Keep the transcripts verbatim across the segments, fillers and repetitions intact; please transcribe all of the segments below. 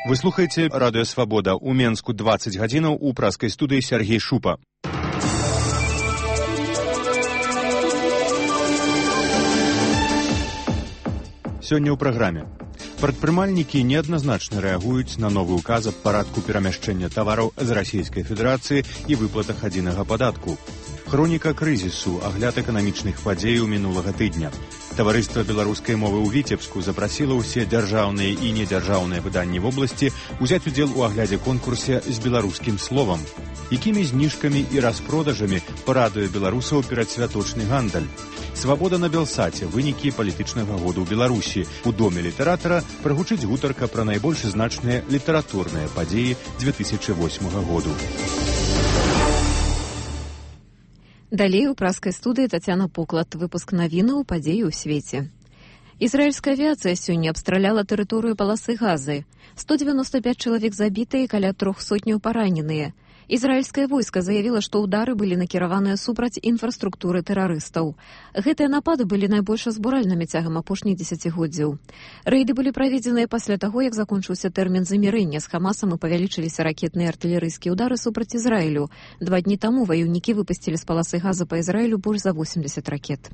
Вы слухаете Радио Свобода. У Менску двадцать гадзінаў, у праскай студыі Сергей Шупа. Сёння ў праграме. Прадпрымальнікі неадназначна рэагуюць на новы ўказ аб парадку перамяшчэння тавараў з Расійскай Федэрацыі і выплатах адзінага падатку. Хроніка крызісу, агляд эканамічных падзеяў мінулага тыдня. Таварыства беларускай мовы ў Віцебску запрасіла ўсе дзяржаўныя і недзяржаўныя выданні вобласці узяць удзел у аглядзе конкурсе з беларускім словам. Якімі зніжкамі і распродажамі парадуе беларусаў перадсвяточны гандаль? Свабода на Белсаце, вынікі палітычнага году ў Беларусі. У доме літаратара прагучыць гутарка пра найбольш значныя літаратурныя падзеі дзве тысячы восьмага году. Далей у праскай студыі Тацяна Поклад. Выпуск навінаў падзеі ў свеце. Ізраільская авіацыя сёння абстраляла тэрыторыю паласы Газы. сто дзевяносто пять чалавек забітыя і каля трох сотняў параненыя. Ізраільскае войска заявіла, што ўдары былі накіраваныя супраць інфраструктуры тэрарыстаў. Гэтыя напады былі найбольш збуральнымі цягам апошніх дзесяцігоддзяў. Рэйды былі праведзеныя пасля таго, як закончыўся тэрмін замірэння з Хамасам і павялічыліся ракетныя артылерыйскія ўдары супраць Ізраілю. Два дні таму ваюўнікі выпусцілі з паласы Газа па Ізраілю больш за восемьдесят ракет.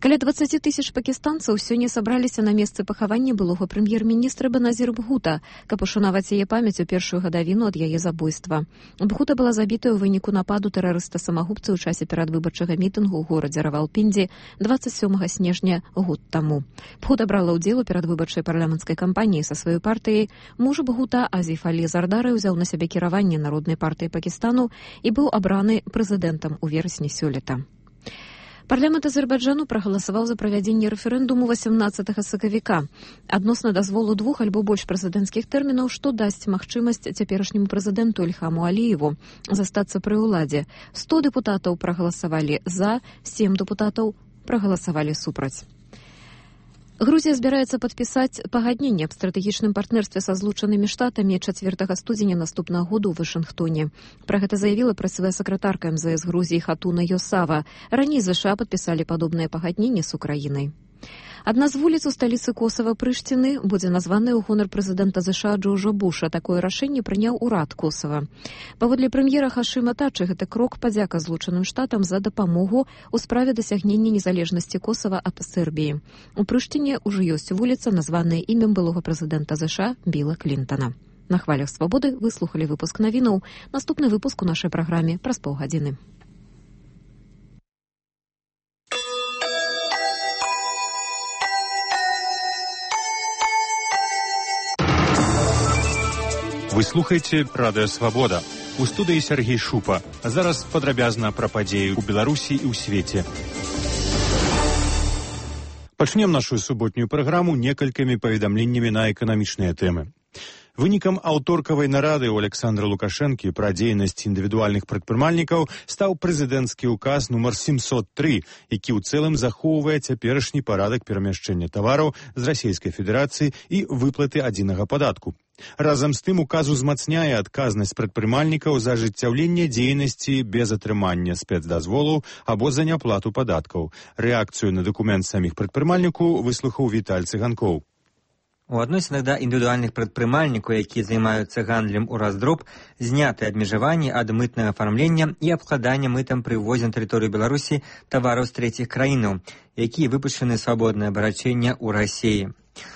Каля двадцать тысяч пакістанцаў сёння сабраліся на месцы пахавання былога прэм'ер-міністра Беназір Бхута, каб ушанаваць яе памяць у першую гадавіну ад яе забойства. Бхута была забітая ў выніку нападу тэрарыста-самагубца ў часе перадвыбарчага мітынгу ў горадзе Равалпінді двадцать сёмага снежня год таму. Бхута брала ўдзел у перадвыбарчай парламенцкай кампаніі са сваёй партыяй. Муж Бхута, Азіф Алі Зардары, узяў на сябе кіраванне Народнай партыі Пакістану і быў абраны прэзідэнтам у верасні сёлета. Парламент Азербайджану прагаласаваў за правядзенне рэферэндуму васямнаццатага сакавіка адносна дазволу двух альбо больш прэзідэнцкіх тэрмінаў, што дасць магчымасць цяперашняму прэзідэнту Ільхаму Аліеву застацца пры ўладзе. сто дэпутатаў прагаласавалі за, сем дэпутатаў прагаласавалі супраць. Грузія збіраецца падпісаць пагадненне аб стратэгічным партнерстве са Злучанымі Штатамі чацвёртага студзеня наступнага году ў Вашынгтоне. Пра гэта заявіла прэсавая сакратарка эм зэ эс Грузіі Хатуна Йосава. Раней ЗША падпісалі падобнае пагадненне з Украінай. Адна з вуліц у сталіцы Косава Прыштіны будзе названая ў гонар прэзідэнта ЗША Джорджа Буша. Такое рашэнне прыняў урад Косава. Паводле прэм'ера Хашыма Тачы, гэта крок падзяка Злучаным Штатам за дапамогу ў справе дасягнення незалежнасці Косава ад Сербіі. У Прыштіне ўжо ёсць вуліца, названая імем былога прэзідэнта ЗША Біла Клінтана. На хвалях свабоды вы слухалі выпуск навінаў. Наступны выпуск у нашай праграме праз паўгадзіны. Вы слухаеце Радыё Свабода. У студыі Сергей Шупа. Зараз падрабязна пра падзеі ў Беларусі і ў свеце. Пачнем нашу суботнюю праграму некалькімі паведамленнямі на эканамічныя тэмы. Вынікам аўторкавай нарады ў Александра Лукашэнкі пра дзейнасць індывідуальных прадпрымальнікаў стаў прэзідэнцкі ўказ нумар семьсот три, які ў цэлым захоўвае цяперашні парадак перамяшчэння тавараў з Расійскай Федэрацыі і выплаты адзінага падатку. Разам з тым указ узмацняе адказнасць прадпрымальнікаў за ажыццяўленне дзейнасці без атрымання спецдазволаў або за няплату падаткаў. Рэакцыю на дакумент саміх прадпрымальнікаў выслухаў Віталь Цыганкоў. У адносінах да індывідуальных прадпрымальнікаў, якія займаюцца гандлем у раздроб, зняты абмежаванні ад мытнага афармлення і абкладання мытам пры ўвозе на тэрыторыю Беларусі тавараў з трэціх краінаў, якія выпушчаны свабоднае абарачэнне ў Расіі.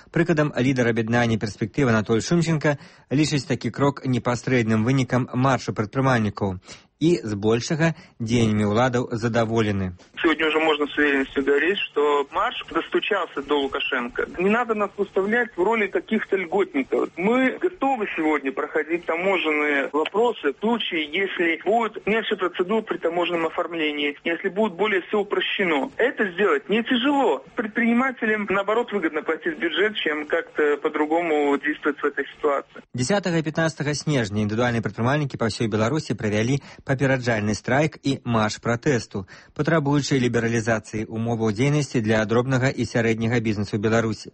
Прыкладам, лідар аб'яднання «Перспектыва» Анатоль Шумченко лічыць такі крок непасрэдным вынікам маршу прадпрымальнікаў и, збольшага, дзеяннямі ўладаў задаволены. Сегодня уже можно с уверенностью говорить, что марш достучался до Лукашенко. Не надо нас выставлять в роли каких-то льготников. Мы готовы сегодня проходить таможенные вопросы в случае, если будет меньше процедур при таможенном оформлении, если будет более все упрощено. Это сделать не тяжело. Предпринимателям, наоборот, выгодно платить бюджет, чем как-то по-другому действовать в этой ситуации. десятого и пятнадцатого снежня індывідуальныя прадпрымальнікі па ўсёй Беларусі правялі папераджальны страйк і марш пратэсту, патрабуючы лібералізацыі умоваў дзейнасці для дробнага і сярэдняга бізнесу ў Беларусі.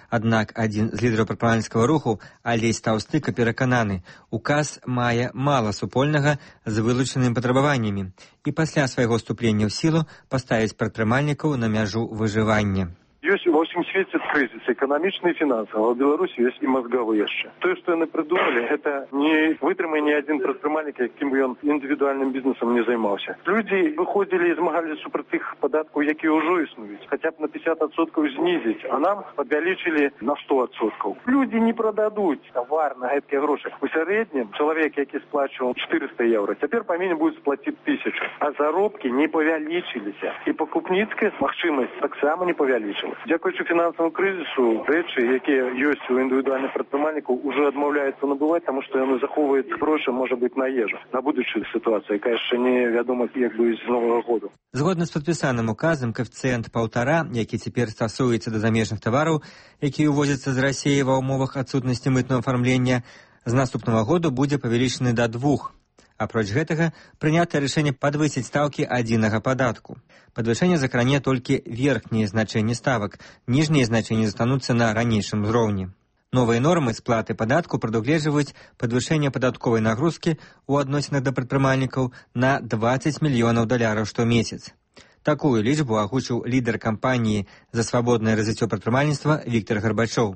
Аднак адзін з лідараў прадпрымальніцкага руху, Алесь Таўстыка, перакананы, указ мае мала супольнага з вылучанымі патрабаваннямі і пасля свайго ўступлення ў сілу паставіць прадпрымальнікаў на мяжу выжывання. Есть у Ва ўсім свеце крызіс эканамічны і фінансавы, а ў Беларусі ёсць і мазгавы яшчэ. Тое, што яны прыдумалі, гэта не вытрымае ні адзін прадпрымальнік, якім бы ён індывідуальным бізнесам не займаўся. Людзі выходзілі і змагаліся супраць тых падаткаў, якія ўжо існуюць, хаця б на пятьдесят адсоткаў знізіць, а нам павялічылі на сто адсоткаў. Людзі не прададуць тавар на гэткія грошы. У сярэднім чалавек, які сплачваў четыреста еўра, цяпер павінен будзе сплаціць тысячу, а заробкі не павялічыліся. І пакупніцкая магчымасць таксама не павялічылася. Дзякуючы фінансаваму крызісу, рэчы, якія ёсць у індывідуальных прадпрымальнікаў, уже адмаўляюцца набываць, таму што яны захоўваюць грошы, можа быць, на ежу, на будучую сітуацыю, якая яшчэ не вядома, як бы з новага году. Згодна з падпісаным указам, коэфіцыент паўтара, які цяпер стасуецца да замежных тавараў, якія ўвозяцца з Расіі ва ўмовах адсутнасці мытнага афармлення, з наступнага году будзе павялічаны да двух. Апроч гэтага, прынятае рашэнне падвысіць стаўкі адзінага падатку. Падвышэнне закране толькі верхнія значэнні ставак, ніжнія значэнні застануцца на ранейшым узроўні. Новыя нормы сплаты падатку прадугледжваюць падвышэнне падатковай нагрузкі ў адносінах да прадпрымальнікаў на двадцать мільёнаў даляраў штомесяц. Такую лічбу агучыў лідар кампаніі за свабоднае развіццё прадпрымальніцтва Віктор Гарбачоў.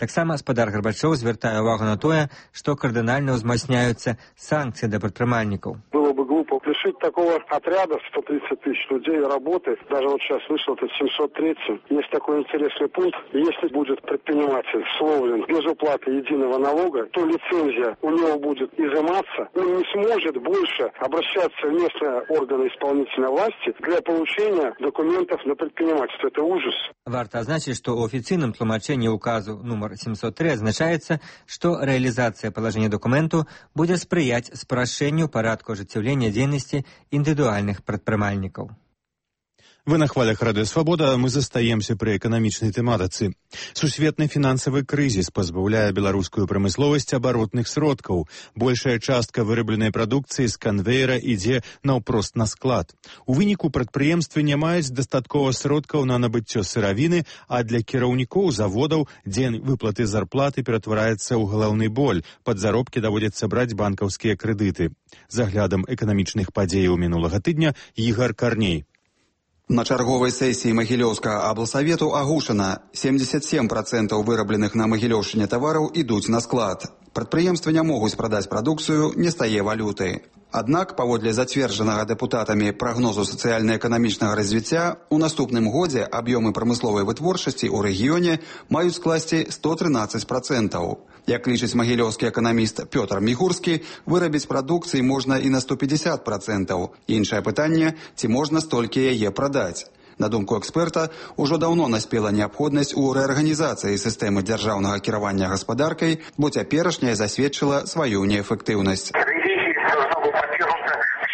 Таксама спадар Гарбачоў звяртае ўвагу на тое, што кардынальна ўзмацняюцца санкцыі да прадпрымальнікаў. Было бы глупо лишить такого отряда сто тридцать тысяч людей работы. Даже вот сейчас вышел это семьсот третий. Есть такой интересный пункт. Если будет предприниматель словлен без уплаты единого налога, то лицензия у него будет изыматься. Он не сможет больше обращаться в местные органы исполнительной власти для получения документов на предпринимательство. Это ужас. Варта азначыць, што ў афіцыйным тлумачэнні указу нумар семьсот три азначаецца, што рэалізацыя палажэння дакументу будзе спрыяць спрашчэнню парадку ажыццяўлення дзейнасці індывідуальных прадпрымальнікаў. Вы на хвалях Радыё Свабода, мы застаемся пры эканамічнай тэматыцы. Сусветны фінансавы крызіс пазбаўляе беларускую прамысловасць абаротных сродкаў. Большая частка вырабленай прадукцыі з канвейера ідзе наўпрост на склад. У выніку прадпрыемствы не маюць дастаткова сродкаў на набыццё сыравіны, а для кіраўнікоў заводаў дзень выплаты зарплаты ператвараецца ў галаўны боль. Пад заробкі даводзіцца браць банкаўскія крэдыты. За аглядам эканамічных падзеяў мінулага тыдня Ігар Карней. На чарговай сесіі Магілёўскага аблсавету агучана семьдесят семь процентаў вырабленых на Магілёўшчыне тавараў ідуць на склад. Прадпрыемствы не могуць прадаць прадукцыю, не стае валюты. Аднак, паводле зацверджанага дэпутатамі прагнозу сацыяльна-эканамічнага развіцця, у наступным годзе аб'ёмы прамысловай вытворчасці ў рэгіёне маюць скласці сто трынаццаць процентаў. Як лічыць магілёўскі эканаміст Пётр Мігурскі, вырабіць прадукцыі можна і на сто пятьдесят процентаў. Іншае пытанне, ці можна столькі яе прадаць. На думку эксперта, ужо даўно наспела неабходнасць у рэарганізацыі сістэмы дзяржаўнага кіравання гаспадаркай, бо цяперашняя засведчыла сваю неэфектыўнасць.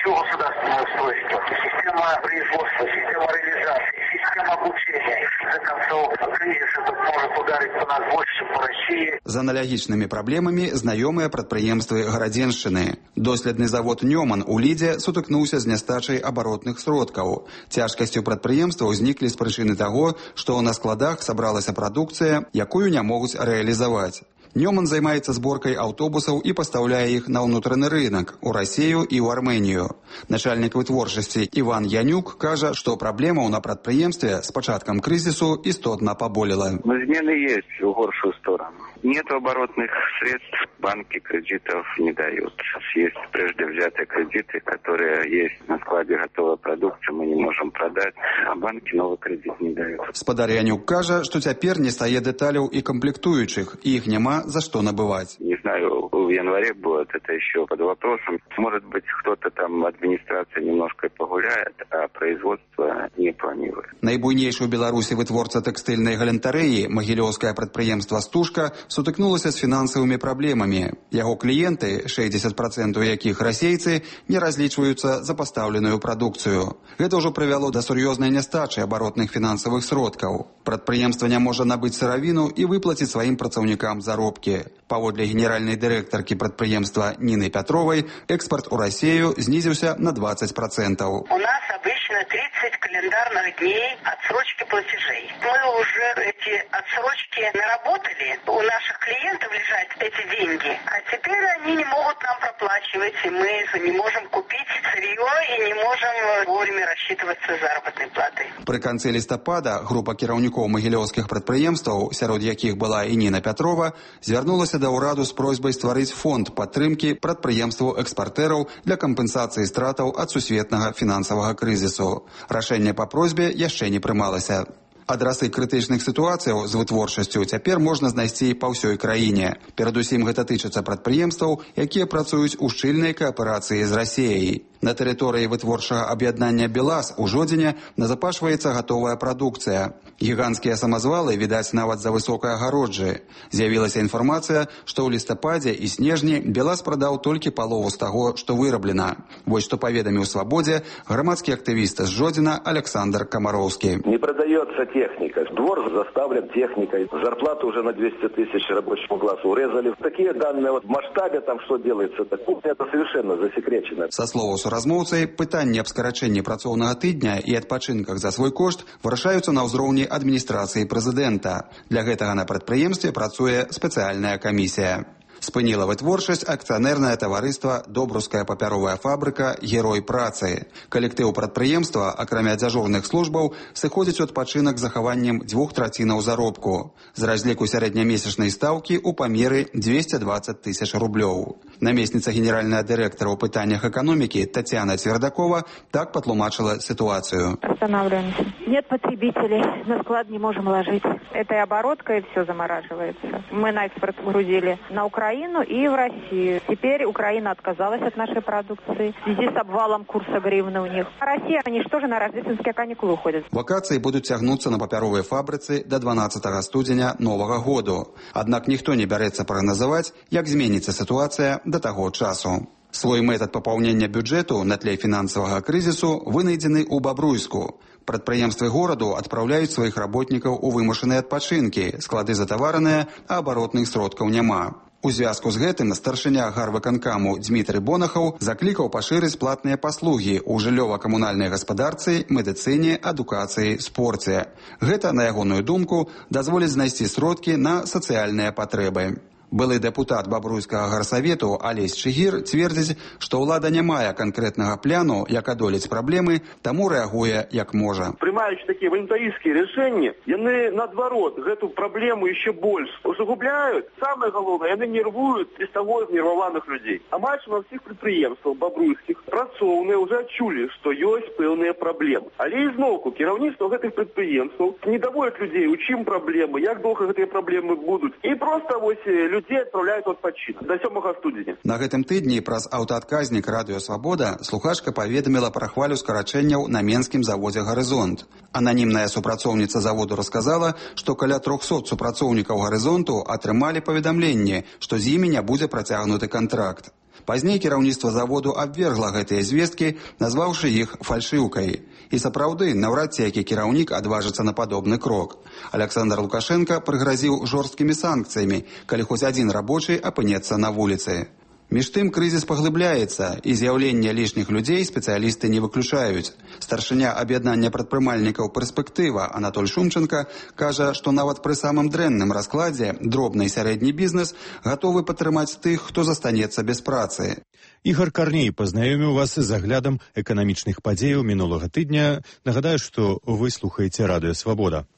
Государственное устройство, система производства, система реализации, система обучения. В конце концов, кризис этот может ударить по нас больше, чем по России. З аналагічнымі праблемамі знаёмыя прадпрыемствы Гарадзеншчыны. Доследны завод «Нёман» у Лідзе сутыкнуўся з нястачай абаротных сродкаў. Цяжкасці ў прадпрыемства ўзніклі з прычыны таго, што на складах сабралася прадукцыя, якую не могуць рэалізаваць. Нёман займаецца зборкай аўтобусаў і пастаўляе іх на ўнутраны рынак у Расію і ў Арменію. Начальнік вытворчасці Іван Янюк кажа, што праблемаў на прадпрыемстве з пачаткам крызісу істотна паболела. Змены есть в горшую сторону. Нет оборотных средств, банки кредитов не дают. Есть прежде взятые кредиты, которые есть на складе готовой продукции, мы не можем продать, а банки новый кредит не дают. Спадар Янюк кажа, што цяпер не стае дэталяў і камплектуючых, і іх няма за что набывать. Не знаю, в январе будет это еще под вопросом. Может быть, кто-то там, администрация немножко погуляет, а производство не планирует. Найбуйнейшы ў Беларусі вытворца тэкстыльнай галентарэі, магілёўскае прадпрыемства «Стужка», сутыкнулася з фінансавымі праблемамі. Яго кліенты, шэсцьдзесят процентаў якіх расейцы, не разлічваюцца за пастаўленую прадукцыю. Гэта ўжо прывяло да сур'ёзнай нястачы абаротных фінансавых сродкаў. Прадпрыемства не можа набыць сыравіну і выплаціць сваім працаўнікам заробкі. Паводле генеральнай дырэктаркі прадпрыемства Ніны Пятровай, экспарт у Расію знізіўся на двадцать процентаў. У нас обычно тридцать календарных дней отсрочки платежей. Мы уже эти отсрочки наработали, у наших клиентов лежат эти деньги, а теперь они не могут нам проплачивать, и мы не можем купить сырье и не можем вовремя рассчитываться с заработной платой. Пры канцы лістапада група кіраўнікоў магілёўскіх прадпрыемстваў, сярод якіх была і Ніна Пятрова, звярнулася да ўраду з просьбай стварыць фонд падтрымкі прадпрыемстваў экспартэраў для кампенсацыі стратаў ад сусветнага фінансавага крызісу. Рашэнне па просьбе яшчэ не прымалася. Адрасы крытычных сітуацыяў з вытворчасцю цяпер можна знайсці па ўсёй краіне. Перадусім гэта тычыцца прадпрыемстваў, якія працуюць у шчыльнай кааперацыі з Расіяй. На тэрыторыі вытворчага аб'яднання «БелАЗ» у Жодзіне назапашваецца гатовая прадукцыя. Гіганцкія самазвалы відаць нават за высокай агароджы. З'явілася інфармацыя, што ў лістападзе і снежні «БелАЗ» прадаў толькі палову з таго, што выраблена. Вось што паведаміў «Свабодзе» грамадскі актывіст з Жодзіна Александр Комаровский. Не продаецца техника. Двор заставлен техникой. Зарплату уже на двести тысяч рабочему классу урезали. Такие данные вот в масштабе там что делается, так, это совершенно засекречено. Со слова суразмоўцай, пытанні аб скарачэнні працоўнага тыдня і адпачынках за свой кошт вырашаюцца на ўзроўні адміністрацыі прэзідэнта. Для гэтага на прадпрыемстве працуе спецыяльная камісія. Спыніла вытворчасць акцыянернае таварыства «Добруская папяровая фабрыка. Герой працы». Калектыў прадпрыемства, акрамя дзяжурных службаў, сыходзіць у адпачынак з захаваннем дзвюх трацінаў заробку. З разліку сярэднямесячнай стаўкі ў памеры двести двадцать тысяч рублёў. Намесніца генеральная дырэктара ў пытаннях эканомікі Татьяна Цвердакова так патлумачыла ситуацию. Останавливаемся. Нет потребителей, на склад не можем ложить. Это и оборотка, и все замораживается. Мы на экспорт грузили на Украину. Украину и в Россию. Теперь Украина отказалась от нашей продукции в связи с обвалом курса гривны у них. А Россия, они что же на рождественские каникулы уходят? Вакации будут цягнуцца на папяровой фабрыцы до дванаццатага студзеня новага году. Аднак ніхто не бярэцца прагназаваць, як зменіцца сітуацыя да таго часу. Свой метод папаўнення бюджэту на тле фінансавага крызісу вынайдзены ў Бабруйску. Прадпрыемствы гораду адпраўляюць сваіх работнікаў у вымушаныя адпачынкі, склады затавараныя, а абаротных сродкаў няма. У звязку з гэтым старшыня гарвыканкаму Дмітрый Бонахаў заклікаў пашырыць платныя паслугі ў жыллёва-камунальнай гаспадарцы, медыцыне, адукацыі, спорце. Гэта, на ягоную думку, дазволіць знайсці сродкі на сацыяльныя патрэбы. Былы дэпутат Бабруйскага гарсавету Алесь Чыгір цвердзіць, што ўлада не мае канкрэтнага пляну, як адолець праблемы, таму рэагуе як можа. Прымаючы такія валюнтарыйскія рашэнні, яны наадварот гэту праблему яшчэ больш усугубляюць. Самае галоўнае, яны нервуюць без таго знерваваных людзей. Амаль на ўсіх прадпрыемствах бабруйскіх працоўныя ўжо адчулі, што ёсць пэўныя праблемы. Але ізноўку кіраўніцтва гэтых прадпрыемстваў не даводзяць людзей, у чым праблемы, як доўга гэтыя праблемы будуць. І проста вось людей отправляют в отпочинок до сёмага студзеня. На гэтым тыдні праз аўтаадказнік радыё «Свабода» слухачка паведаміла пра хвалю скарачэнняў на менскім заводзе «Гарызонт». Ананімная супрацоўніца заводу расказала, што каля трохсот супрацоўнікаў «Гарызонту» атрымалі паведамленне, што з імі не будзе працягнуты кантракт. Пазней кіраўніцтва заводу абвергла гэтыя звесткі, назваўшы іх фальшыўкай. І сапраўды, наўрад ці які кіраўнік адважыцца на падобны крок. Александр Лукашенко прыгразіў жорсткімі санкцыямі, калі хоць адзін рабочы апынецца на вуліцы. Між тым крызіс паглыбляецца, і з'яўленне лішніх людзей спецыялісты не выключаюць. Старшыня аб'яднання прадпрымальнікаў «Перспектыва» Анатоль Шумченко кажа, што нават пры самым дрэнным раскладзе дробны і сярэдні бізнес гатовы падтрымаць тых, хто застанецца без працы. Ігор Карней пазнаёміў вас з аглядам эканамічных падзеяў мінулага тыдня. Нагадаю, што вы слухаеце радыё «Свабода».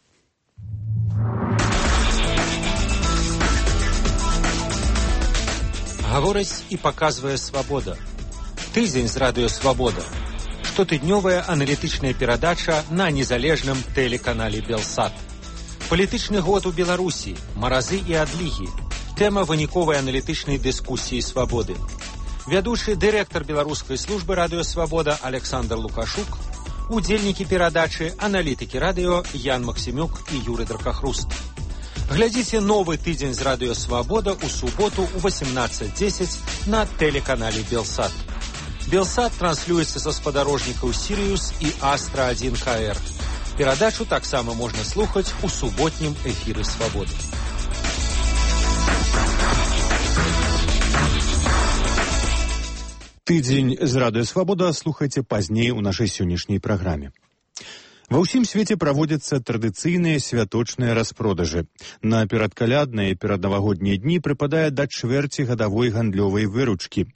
Гаворыць і паказвае «Свабода». Тыдзень з радыё «Свабода». Штотыднёвая аналітычная перадача на незалежным тэлеканале «Белсат». Палітычны год у Беларусі, маразы і адлігі. Тэма выніковай аналітычнай дыскусіі «Свабоды». Вядучы дырэктар беларускай службы радыё «Свабода» Александр Лукашук, удзельнікі перадачы, аналітыкі радыё Ян Максімюк і Юрый Дракахруст. Глядзіце новы тыдзень з радыё «Свабода» у суботу ў восемнадцать десять на тэлеканале «Белсат». «Белсат» транслюецца са спадарожнікаў «Сіриус» і «Астра один К Р». Перадачу таксама можна слухаць у суботнім эфіры «Свабоды». Тыдзень з радыё Свабода слухайце пазней у нашай сённяшняй праграме. Ва ўсім свеце праводзяцца традыцыйныя святочныя распродажы. На перадкалядныя і пераднавагоднія дні прыпадае да чвэрці гадавой гандлёвай выручкі.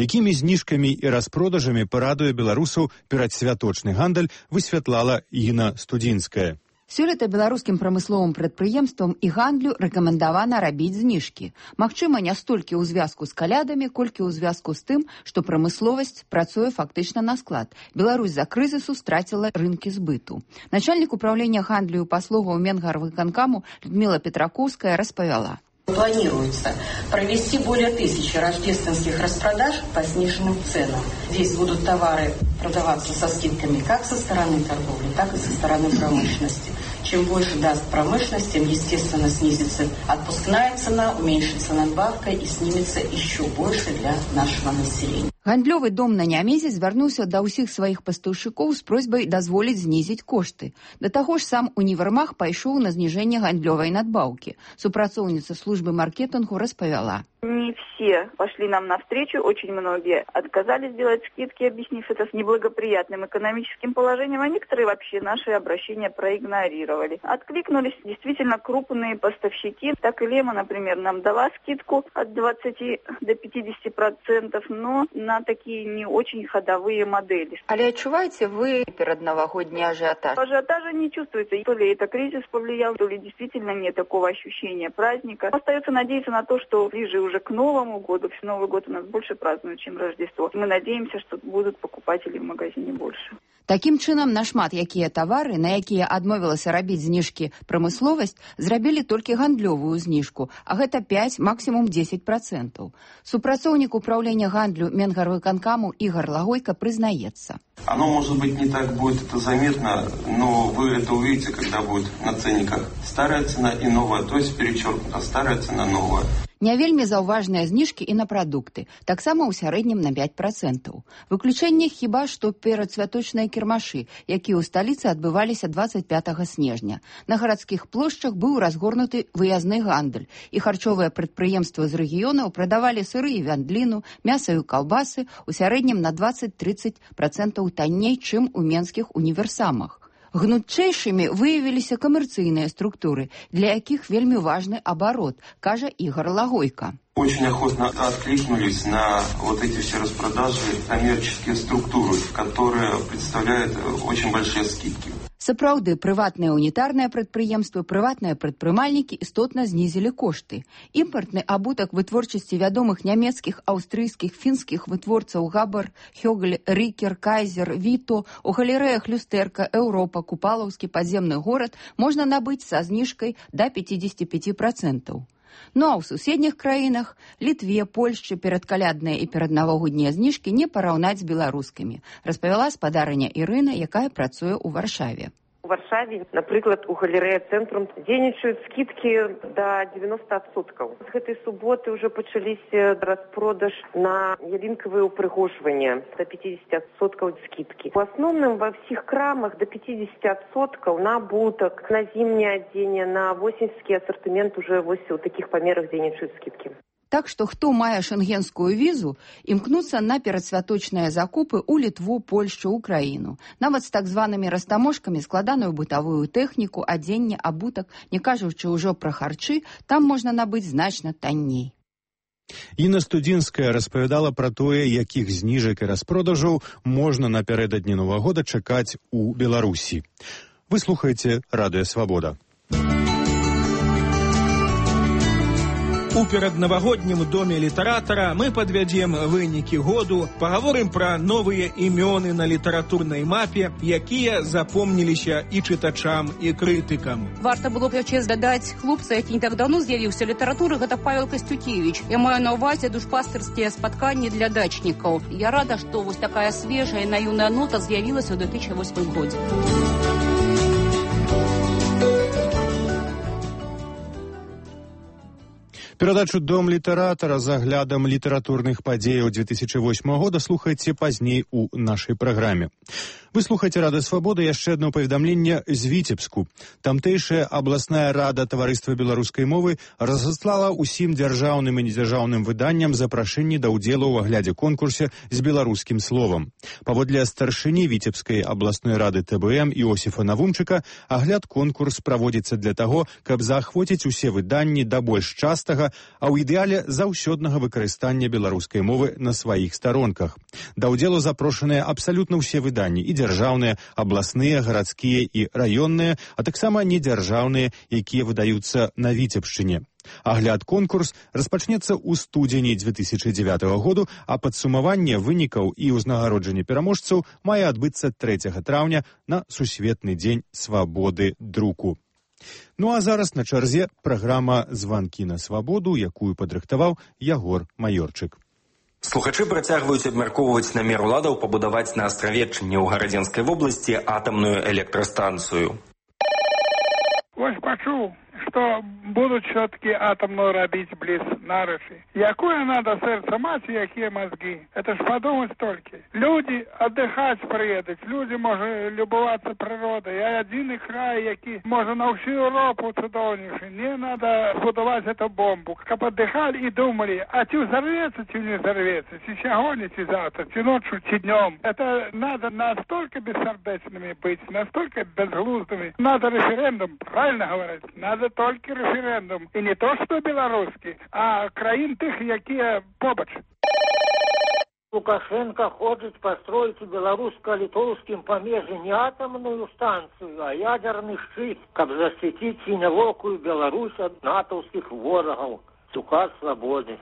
Якімі зніжкамі і распродажамі парадуе беларусаў перадсвяточны гандаль, высвятлала Інна Студзінская. Сёлета беларускім прамысловым прадпрыемствам і гандлю рэкамендавана рабіць зніжкі. Магчыма, не столькі ў звязку з калядамі, колькі ў звязку з тым, што прамысловасць працуе фактычна на склад. Беларусь за крызісу страціла рынкі збыту. Начальнік управлення гандлю і паслугаў Менгарвыканкаму Людмила Петракоўская распавяла. Планируется провести более тысячи рождественских распродаж по сниженным ценам. Здесь будут товары продаваться со скидками как со стороны торговли, так и со стороны промышленности. Чем больше даст промышленность, тем, естественно, снизится отпускная цена, уменьшится надбавка и снимется еще больше для нашего населения. Гандлёвы дом на Нямезе звярнуўся да ўсіх сваіх пастаўшчыкоў з просьбай дазволіць знізіць кошты. Да таго ж сам універмаг пайшоў на зніжэнне гандлёвай надбаўкі. Супрацоўніца службы маркетингу распавяла. Не все пошли нам навстречу, очень многие отказались делать скидки, объяснив это с неблагоприятным экономическим положением, а некоторые вообще наши обращения проигнорировали. Откликнулись действительно крупные поставщики. Так и Лема, например, нам дала скидку от двадцати до пятидесяти процентов, но на такие не очень ходовые модели. Але отчуваете вы передновогодний ажиотаж? Ажиотажа не чувствуется. То ли это кризис повлиял, то ли действительно нет такого ощущения праздника. Остается надеяться на то, что ближе уже к Новому году. Новый год у нас больше празднуют, чем Рождество. Мы надеемся, что будут покупатели в магазине больше. Такім чынам, нашмат якія тавары, на якія адмовілася рабіць зніжкі прамысловасць, зрабілі толькі гандлёвую зніжку, а гэта пять, максимум десять процентов. Супрацоўнік управлення гандлю Менгарвыканкаму Игорь Лагойко признаецца. Оно, может быть, не так будет это заметно, но вы это увидите, когда будет на ценниках старая цена и новая, то есть перечеркнута старая цена, новая. Не вельмі заўважныя зніжкі і на прадукты, таксама ў сярэднім на пять процентов. Выключэнне хіба што перадсвяточныя кірмашы, якія ў сталіцы адбываліся двадцать пятого снежня. На гарадскіх плошчах быў разгорнуты выязны гандаль, і харчовыя прадпрыемствы з рэгіёнаў прадавалі сыры і вяндліну, мяса і каўбасы ў сярэднім на двадцать-тридцать процентов танней, чым у менскіх універсамах. Гнутчэйшымі выявіліся камерцыйныя структуры, для якіх вельмі важны абарот, кажа Игорь Лагойко. Очень охотно откликнулись на вот эти все распродажи коммерческие структуры, которые представляют очень большие скидки. Сапраўды, прыватныя унітарныя прадпрыемствы, прыватныя прадпрымальнікі істотна знізілі кошты. Імпартны абутак вытворчасці вядомых нямецкіх, аўстрыйскіх, фінскіх вытворцаў Габар, Хёгль, Рікер, Кайзер, Віто, у галерэях Люстэрка, Еўропа, Купалаўскі падземны горад можна набыць са зніжкай да пятидесяти пяти процентов. Ну а ў суседніх краінах, Літве, Польшчы, перадкалядныя і пераднавагоднія зніжкі не параўнаць з беларускімі, распавяла спадарыня Ірына, якая працуе ў Варшаве. У Варшаве, напрыклад, у галерэя «Цэнтрум» дзейнічаюць скидки до девяноста процентов. С этой субботы уже пачаліся распродаж на ялинковые упрыгожванні до пятидесяти процентов скидки. В основном во всех крамах до пятидесяти процентов на обуток, на зимнее одение, на восеньский ассортимент уже в таких померах дзейнічаюць скидки. Так што хто мае шэнгенскую візу, імкнуцца на перадсвяточныя закупы ў Літву, Польшчу, Украіну. Нават з так званымі растаможкамі складаную бытавую тэхніку, адзенне, абутак, не кажучы ўжо пра харчы, там можна набыць значна танней. Інна Студзінская распавядала пра тое, якіх зніжак і распродажаў можна напярэдадні Новага года чакаць у Беларусі. Вы слухаеце Радыё Свабода. У пераднавагоднім доме літаратара мы падвядзем вынікі году, пагаворым пра новыя імёны на літаратурнай мапе, якія запомніліся і чытачам, і крытыкам. Варта было б яшчэ дадаць хлопца, які не так даўно з'явіўся ў літаратуры, гэта Павел Касцюкевіч. Я маю на ўвазе душпастырскія спатканні для дачнікаў. Я рада, што вось такая свежая наіўная нота з'явілася ў две тысячи восьмым годзе. Перадачу «Дом літаратара» з аглядам літаратурных падзеяў две тысячи восьмого года слухайце пазней у нашай праграме. Вы слухаеце Рада Свабода, яшчэ одно паведамленне з Віцебску. Тамтэйшая абласная рада таварыства беларускай мовы разаслала ўсім дзяржаўным і недзяржаўным выданням запрашэнні да ўдзелу ў аглядзе конкурсе з беларускім словам. Паводле старшыні Віцебскай абласной рады тэ бэ эм Іосіфа Навумчыка, агляд конкурс праводзіцца для таго, каб заахвоціць усе выданні да больш частага, а ў ідэале заўсёднага выкарыстання беларускай мовы на сваіх старонках. Да ўдзелу запрошаныя абсалютна ўсе выданні, і дзяржаўныя, абласныя, гарадскія і раённыя, а таксама недзяржаўныя, якія выдаюцца на Віцебшчыне. Агляд конкурс распачнецца ў студзені две тысячи дзевятого году, а падсумаванне вынікаў і ўзнагароджанне пераможцаў мае адбыцца трэцяга траўня на Сусветны дзень свабоды друку. Ну а зараз на чарзе праграма «Званкі на свабоду», якую падрыхтаваў Ягор Маёрчык. Слухачы працягваюць абмяркоўваць намер уладаў пабудаваць на Астравеччыне ў Гарадзенскай вобласці атамную электрастанцыю. Вось пачуў, што будуць все-таки атомную рабіць близ Нарыши. Якое надо сердце мать, якие мозги. Это ж подумать только. Люди отдыхать приедут, люди можуть любоваться природой. А один край, який може на всю Европу чудовнейший. Не надо будовать эту бомбу. Как отдыхали и думали, а чи взорвется, чи не взорвется, чи сегодня, чи завтра, чи ночью, чи днем. Это надо настолько бессердечными быть, настолько безглуздыми. Надо референдум, правильно говорить, надо только референдум. И не то, что белорусский, а краин тых, якія побач. Лукашенко хочет построить в белорусско-литовском помежье не атомную станцию, а ядерный щит, как защитить синевокую Беларусь от натовских ворогов. Указ свободы.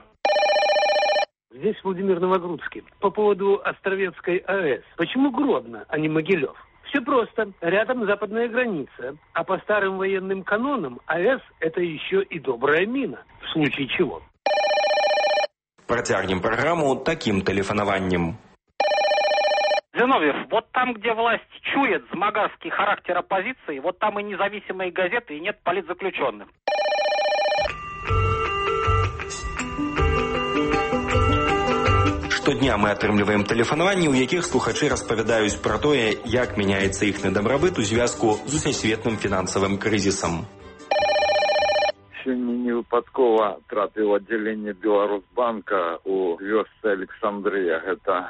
Здесь Владимир Новогрудский. По поводу Островецкой АЭС. Почему Гродно, а не Могилев? Все просто. Рядом западная граница. А по старым военным канонам АЭС – это еще и добрая мина. В случае чего. Протягнем программу таким телефонованием. Зиновьев, вот там, где власть чует змагарский характер оппозиции, вот там и независимые газеты, и нет политзаключенных. Штодня мы атрымліваем тэлефанаванні, у якіх слухачы распавядаюць пра тое, як мяняецца іхны дабрабыт у звязку з усесветным фінансавым крызісам. Сёння невыпадкова трапіў аддзяленне Беларусбанка у вёсцы Александрыя. Гэта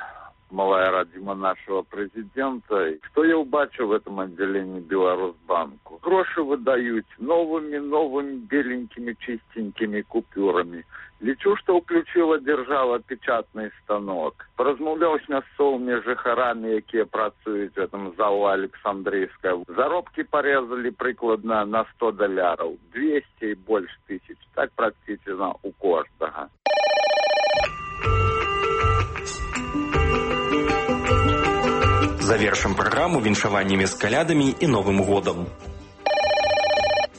малая радзіма нашего президента. Что я убачил в этом отделении Беларусбанку? Гроши выдают новыми, новыми беленькими, чистенькими купюрами. Лічу, что включила держава печатный станок. Поразмаўляў с мясцовыми жыхарамі, якія працуюць в этом залу Александрийская. Заробки порезали прикладно на сто доляров, двести и больше тысяч. Так практически у каждого. Завершим программу віншаваннями с калядами и Новым годом.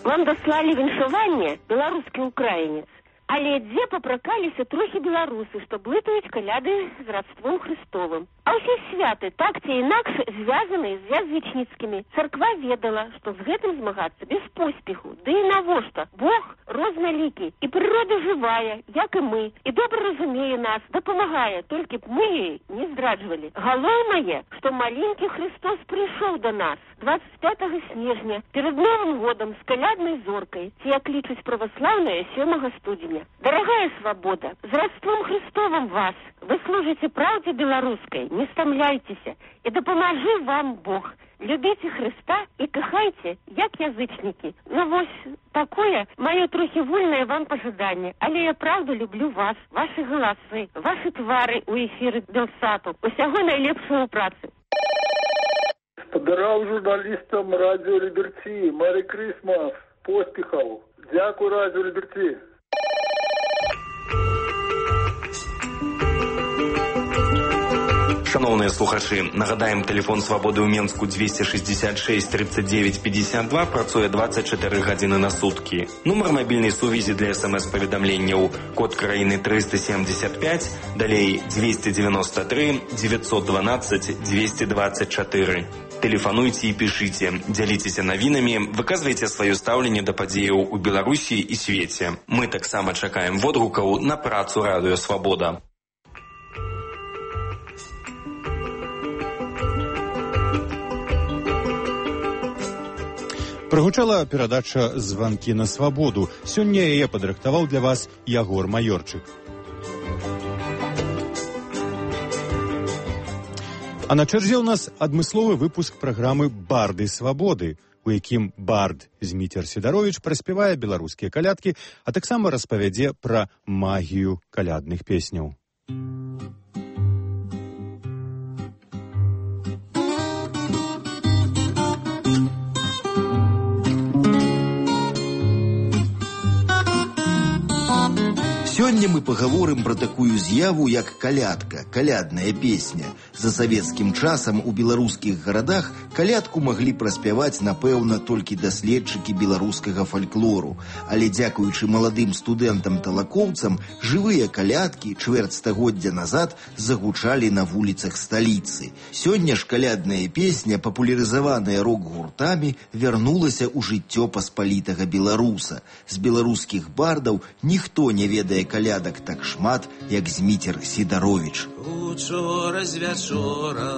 Вам дослали віншаванне беларускі украінец. Але дзе папракаліся трохі беларусы, што блытаюць каляды з радством Христовым. А ўсе святы так ці інакш звязаныя з язычніцкімі. Царква ведала, што з гэтым змагацца без поспеху. Ды і навошта? Бог рознолікі, і прырода жывая, як і мы, і добра разумее нас, дапамагае, толькі б мы яе не здраджвалі. Галоўнае, што маленькі Христос прыйшоў да нас двадцать пятого снежня перед Новым годом с калядной зоркой, ці як лічаць праваслаўныя сёмага студзеня. Дорогая свобода, з родством Христовым вас. Вы служите правде белорусской, не стомляйтесь, и да поможи вам Бог. Любите Христа и кахайте, як язычники. Ну вось такое мое трохи вольное вам пожидание. Але я правда люблю вас, ваши голосы, ваши твары у эфиры Белсату. Усяго найлепшого працы. Подарал журналистам Радио Либерти. Мэри Крисмас. Поспехов. Дякую Радио Либерти. Шановные слухачи, нагадаем, телефон свободы ў Менску двести шестьдесят шесть тридцать девять пятьдесят два працуе двадцать четыре гадзіны на сутки. Нумар мобильной сувязі для смс-паведамленняў код краіны триста семьдесят пять, далей двести девяносто три девятьсот двенадцать двести двадцать четыре. Тэлефануйце і пішыце, дзяліцеся навінамі, выказвайце сваё стаўленне да падзеяў у Беларусі і свеце. Мы таксама чакаем водгукаў на працу Радыё Свабода. Прагучала перадача «Званкі на свабоду». Сёння яе падрыхтаваў для вас Ягор Маёрчык. А на чарзе ў нас адмысловы выпуск праграмы «Барды свабоды», у якім бард Зміцер Сідаровіч праспявае беларускія калядкі, а таксама распавядзе пра магію калядных песняў. Сёння мы пагаворым пра такую з'яву, як калядка, калядная песня. За савецкім часам у беларускіх гарадах калядку маглі праспяваць, напэўна, толькі даследчыкі беларускага фальклору. Але дзякуючы маладым студэнтам-талакоўцам, жывыя калядкі чвэрць стагоддзя назад загучалі на вуліцах сталіцы. Сёння ж калядная песня, папулярызаваная рок-гуртамі, вярнулася ў жыццё паспалітага беларуса. З беларускіх бардаў ніхто не ведае калядак так шмат, як Зміцер Сідаровіч. Учора з вячора,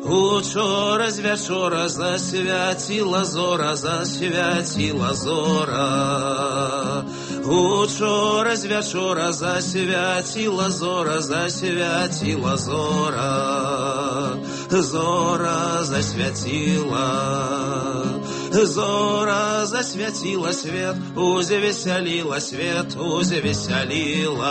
учора з вячора засвяціла зора, засвяціла зора. Учора з вячора засвяціла зора, засвяціла зора. Зора засвяціла. Зора засвяціла свет, узвесяліла свет, узвесяліла.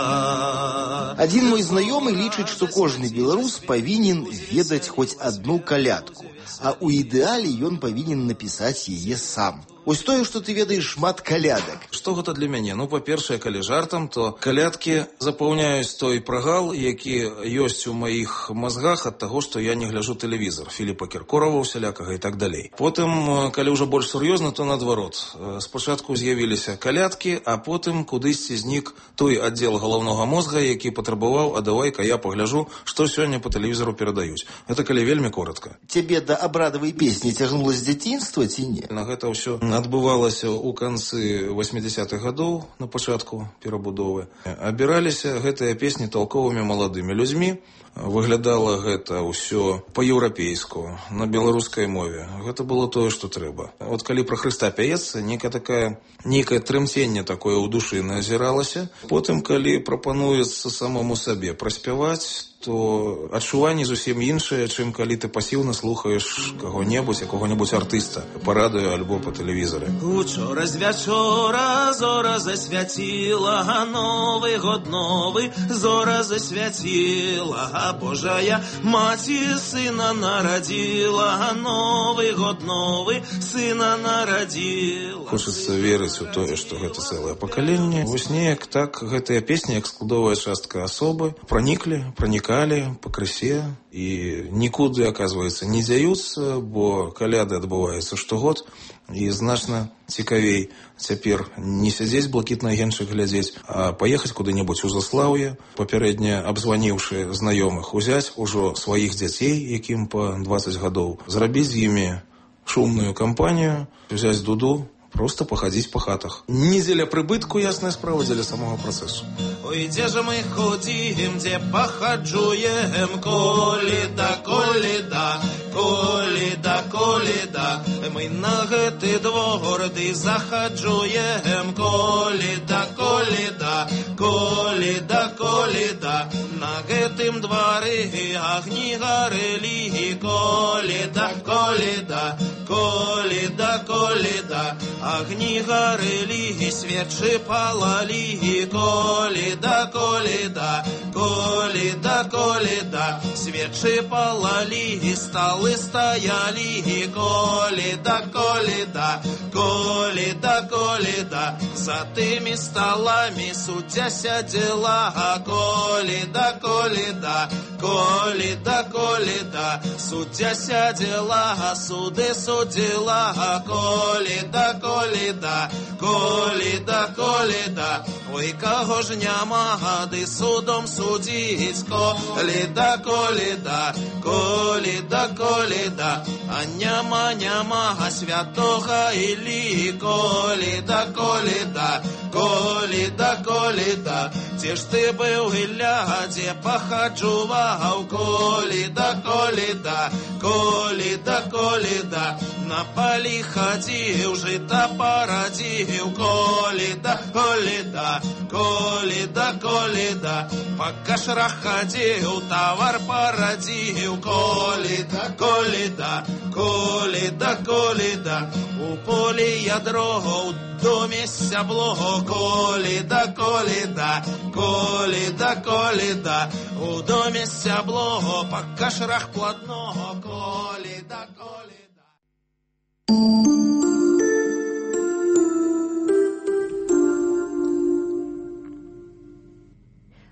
Адзін мой знаёмы лічыць, што кожны беларус павінен ведаць хоць адну калядку, а ў ідэале ён павінен напісаць яе сам. Ось тое, што ты ведаеш шмат калядак. Што гэта для мяне? Ну, па-першае, калі жартам, то калядкі запаўняюць той прагал, які ёсць у маіх мазгах ад таго, што я не гляджу тэлевізор, Філіпа Кіркорава усялякага і так далей. Потым, калі ўжо больш сур'ёзна, то наадварот. Спачатку з'явіліся калядкі, а потым кудысьці знік той аддзел галаўнога мозга, які патрабаваў, а давай-ка я пагляджу, што сёння па тэлевізору перадаюць. Гэта калі вельмі коротка. Цябе да абрадавай песні цягнула з дзяцінства ці не? На гэта ўсё адбывалася ў канцы восьмідзясятых гадоў, на пачатку перабудовы. Абіраліся гэтыя песні талковымі маладымі людзьмі. Выглядала гэта ўсё па-еўрапейску, на беларускай мове. Гэта было тое, што трэба. От калі пра Хрыста пяецца, нейкае такая, нейкае трымценне такое ў душы назіралася. Потым, калі прапануецца самому сабе праспяваць, то адчуванні зусім іншыя, чым калі ты пасіўна слухаеш каго-небудзь, якога-небудзь артыста па радыё альбо па тэлевізары. Учора з вячора зора засвяціла, новы год новы, зора засвяціла, Божая маці сына нарадзіла, новы год новы, сына нарадзіла. Хочацца верыць у тое, што гэта цэлае пакаленне. Вось неяк так гэтыя песні, як складовая частка асобы, праніклі, пранікалі пакрысе і нікуды, аказваецца, не дзяюцца, бо каляды адбываюцца штогод, і значна цікавей цяпер не сядзець блакітны агеньчык глядзець, а паехаць куды-небудзь у заслаўе, папярэдне абзваніўшы знаёмых, узяць ужо сваіх дзяцей, якім па дваццаць гадоў, зрабіць з імі шумную кампанію, взяць дуду, просто пахадзіць па хатах. Не дзеля прыбытку, ясная справа, дзеля самого працэсу. Ой, дзе ж мы ходзім, дзе пахаджуем, коліда, коліда, коліда, коліда. Мы на гэты двор ды захаджуем, коліда, коліда, коліда, коліда. На гэтым двары агні гарэлі, коліда, коліда, коліда, коліда. Агні гарэлі, свечы палалі, коліда, коліда, коліда, коліда. Свечы палалі, сталы стаялі, коліда, коліда, коліда, коліда. За тымі сталами суддзя сядзела, коліда, коліда, коліда, коліда. Суддзя сядзела, суды судзіла, коліда. коліда, коліда, коліда, коліда. Ой, кого ж няма гады судом судить, коліда, коліда, коліда, коліда. А няма, няма святого Іллі, коліда, коліда, коліда, коліда. Де ж ти був, Ілля, де похаджував, коліда, коліда, коліда, коліда. На полі ходив, жита породив, коліда, коліда, коліда, коліда. По кашрах ходив, товар породив, коліда, коліда, коліда, коліда. У полі ядро, у домі сябло, коліда, коліда, коліда, коліда. У домі сябло, по кашрах плотного, коліда, коліда.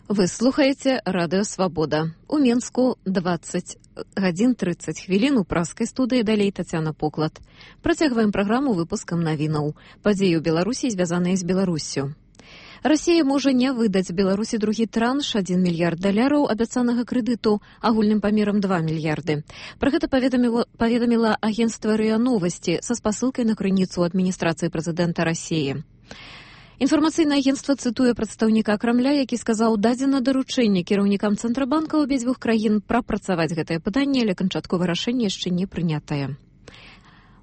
Вы слухаеце радыё Свабода. У Менску двадцать гадзін тридцать хвілін, у праскай студыі далей Тацяна Поклад. Працягваем праграму выпускам навінаў. Падзеі ў Беларусі, звязаныя з Беларуссю. Расія можа не выдаць Беларусі другі транш, адзін мільярд даляраў абяцанага крэдыту агульным памерам два мільярды. Пра гэта паведаміла, паведаміла агенцтва РИА Новасці са спасылкай на крыніцу адміністрацыі прэзідэнта Расіі. Інфармацыйнае агенцтва цытуе прадстаўніка Крамля, які сказаў, дадзена даручэнне кіраўнікам цэнтрабанка абедзвюх краін прапрацаваць гэтае пытанне, але канчатковае рашэнне яшчэ не прынятае.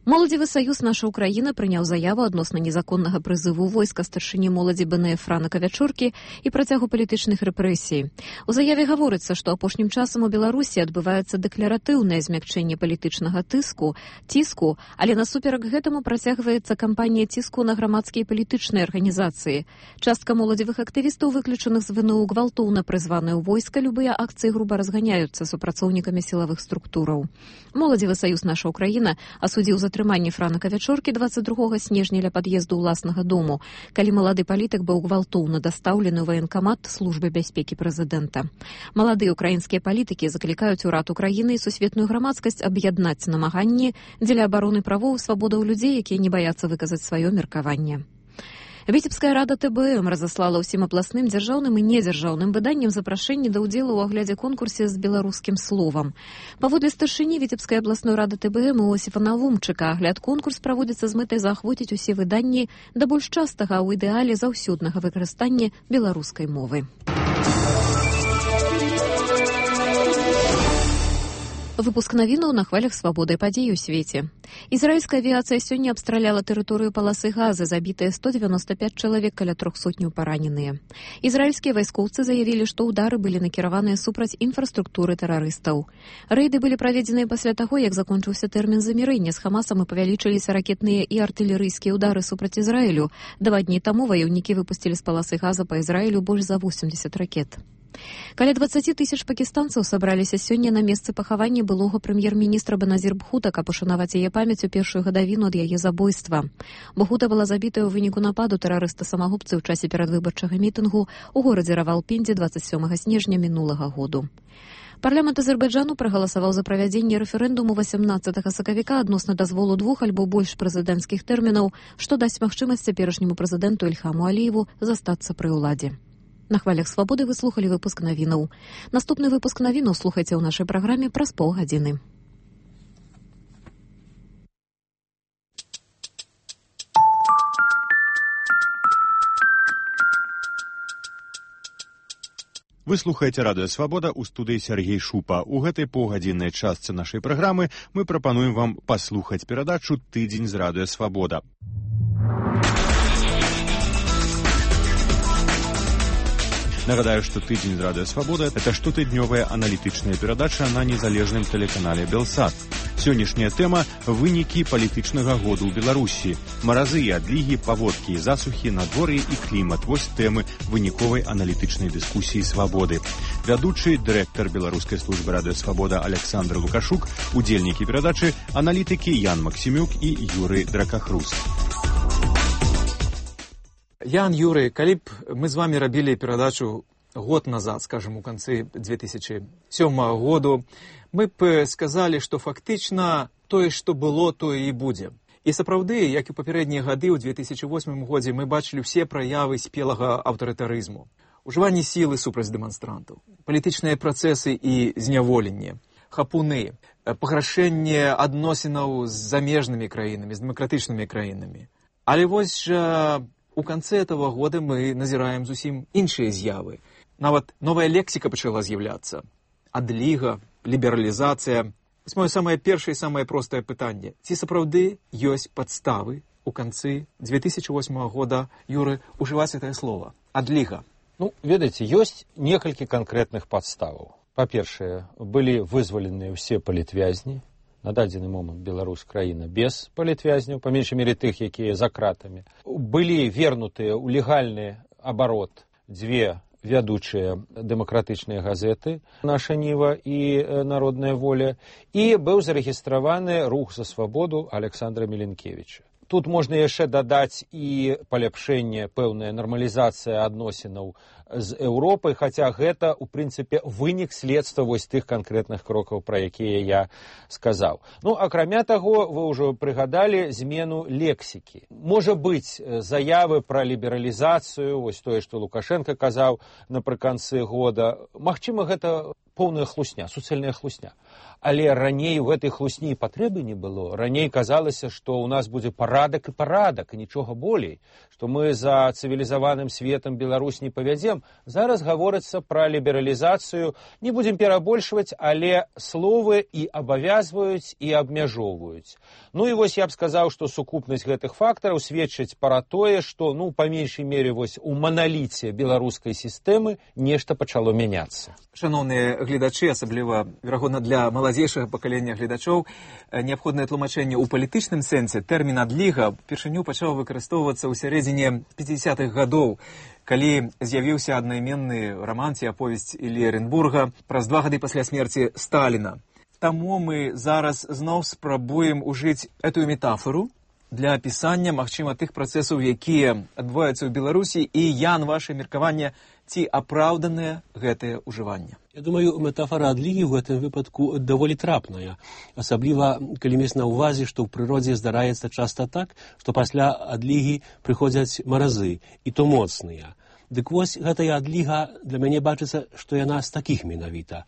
Моладзевы саюз «Наша Украіна» прыняў заяву адносна незаконнага прызыву войска старшыні моладзі БНФ Франа Кавячоркі і працягу палітычных рэпрэсій. У заяве гаворыцца, што апошнім часам у Беларусі адбываецца дэкларатыўнае змякчэнне палітычнага тыску, ціску, але насуперак гэтаму працягваецца кампанія ціску на грамадскія і палітычныя арганізацыі. Частка моладзевых актывістаў, выключаных з ВНУ, гвалтоўна прызваныя ў войска, любыя акцыі груба разганяюцца супрацоўнікамі сілавых структураў. Моладзевы саюз «Наша Украіна» асудзіў за атрыманне Франа Кавячоркі дваццаць другога снежня ля пад'езду ўласнага дому, калі малады палітык быў гвалтоўна дастаўлены ў ваенкамат службы бяспекі прэзідэнта. Маладыя украінскія палітыкі заклікаюць урад Украіны і сусветную грамадскасць аб'яднаць намаганні дзеля абароны правоў і свабодаў людзей, якія не баяцца выказаць сваё меркаванне. Віцебская рада ТБМ разаслала ўсім абласным дзяржаўным і недзяржаўным выданням запрашэнне да ўдзелу ў аглядзе конкурсе з беларускім словам. Паводле старшыні Віцебскай абласной рады ТБМ Іосіфа Навумчыка, агляд конкурс праводзіцца з мэтай заахвоціць усе выданні да больш частага, а ў ідэале заўсёднага выкарыстання беларускай мовы. Выпуск навінаў на хвалях свабоды падзей у свеце. Ізраільская авіацыя сёння абстраляла тэрыторыю паласы Газы, забітыя сто дзевяноста пяць чалавек, каля трох сотняў параненыя. Ізраільскія вайскоўцы заявілі, што ўдары былі накіраваныя супраць інфраструктуры тэрарыстаў. Рэйды былі праведзеныя пасля таго, як закончыўся тэрмін замірэння з Хамасам і павялічыліся ракетныя і артылерыйскія ўдары супраць Ізраілю. Два дні таму ваяўнікі выпусцілі з паласы Газа па Ізраілю больш за восемьдесят ракет. Каля дваццаць тысяч пакістанцаў сабраліся сёння на месцы пахавання былога прэм'ер-міністра Беназір Бхута, каб ушанаваць яе памяць у першую гадавіну ад яе забойства. Бхута была забітая ў выніку нападу тэрарыста-самагубцы ў часе перадвыбарчага мітынгу ў горадзе Равалпіндзе дваццаць сёмага снежня мінулага году. Парламент Азербайджану прагаласаваў за правядзенне рэферэндуму васямнаццатага сакавіка адносна дазволу двух альбо больш прэзідэнцкіх тэрмінаў, што дасць магчымасць цяперашняму прэзідэнту Ільхаму Аліеву застацца пры ўладзе. На хвалях свабоды вы слухалі выпуск навінаў. Наступны выпуск навінаў слухайце ў нашай праграме праз паўгадзіны. Вы слухаеце радыё Свабода, у студыі Сергей Шупа. У гэтай паўгадзіннай частцы нашай праграмы мы прапануем вам паслухаць перадачу «Тыдзень з радыё Свабода». Нагадаю, што «Тыдзень з радыё Свабода» — это штотыднёвая аналітычная перадача на незалежным тэлеканале «Белсат». Сённяшняя тэма — вынікі палітычнага году ў Беларусі. Маразы і адлігі, паводкі і засухі, надвор'е і клімат. Вось тэмы выніковай аналітычнай дыскусіі «Свабоды». Вядучы, дырэктар беларускай службы радыё Свабода Александр Лукашук, удзельнікі перадачы, аналітыкі Ян Максімюк і Юрый Дракахрус. Ян, Юрый, калі б мы з вами рабілі перадачу год назад, скажем, у канцы две тысячи сёмага году, мы б сказалі, што фактычна тое, што было, тое і будзе. І сапраўды, як і ў папярэднія гады, ў две тысячы восьмым годзе мы бачылі ўсе праявы спелага аўтарытарызму. Ужыванне сілы супраць дэманстрантаў, палітычныя працэсы і зняволенне, хапуны, паграшэнне адносінаў з замежнымі краінамі, з дэмакратычнымі краінамі. Але вось жа у канцы этого года мы назіраем зусім іншыя з'явы. Нават новая лексіка пачала з'яўляцца. Адліга, лібералізацыя. Вось моё самае першае і самае простае пытанне. Ці сапраўды ёсць падставы у канцы две тысячи восьмого года, Юры, ужываць гэтае слово? Адліга. Ну, ведаеце, ёсць некалькі канкрэтных падставаў. Па-першае, былі вызваленыя ўсе палітвязні. На дадзены момант Беларусь краіна без палітвязняў, па меншай мере тых, якія за кратамі. Былі вернутыя ў легальны абарот дзве вядучыя дэмакратычныя газеты «Наша Ніва» і «Народная воля», і быў зарэгістраваны рух за свабоду Александра Міленкевіча. Тут можна яшчэ дадаць і паляпшэнне, пэўная нармалізацыя адносінаў з Еўропай, хаця гэта, у прынцыпе, вынік следства вось тых канкрэтных крокаў, пра якія я сказаў. Ну, акрамя таго, вы ўжо прыгадалі змену лексікі. Можа быць, заявы пра лібералізацыю, вось тое, што Лукашенко казаў напрыканцы года, магчыма, гэта поўная хлусня, суцэльная хлусня. Але раней у гэтай хлусні патрэбы не было. Раней казалася, што ў нас будзе парадак і парадак, і нічога болей, што мы за цывілізаваным светам Беларусь не павядзем. Зараз гаворыцца пра лібералізацыю. Не будзем перабольшваць, але словы і абавязваюць, і абмяжоўваюць. Ну і вось я б сказаў, што сукупнасць гэтых фактараў сведчыць пра тое, што, ну, па меншай мере, вось у маналіце беларускай сістэмы нешта пачало мяняцца. Шановныя гледачы, асабліва, верагодна, для маладзейшага пакалення гледачоў, неабходнае тлумачэнне ў палітычным сэнсе. Тэрмін адліга упершыню пачаў выкарыстоўвацца ў сярэдзіне пяцідзясятых гадоў, калі з'явіўся аднайменны раман ці аповесць Іллі Эренбурга праз два гады пасля смерці Сталіна. Таму мы зараз зноў спрабуем ужыць эту метафору для апісання, магчыма, тых працэсаў, якія адбываюцца ў Беларусі, і я, на ваше меркаванне, ці апраўданае гэтае ўжыванне? Я думаю, метафора адлігі ў гэтым выпадку даволі трапная. Асабліва, калі мець на ўвазе, што ў прыродзе здараецца часта так, што пасля адлігі прыходзяць маразы, і то моцныя. Дык вось гэтая адліга для мяне бачыцца, што яна з такіх менавіта.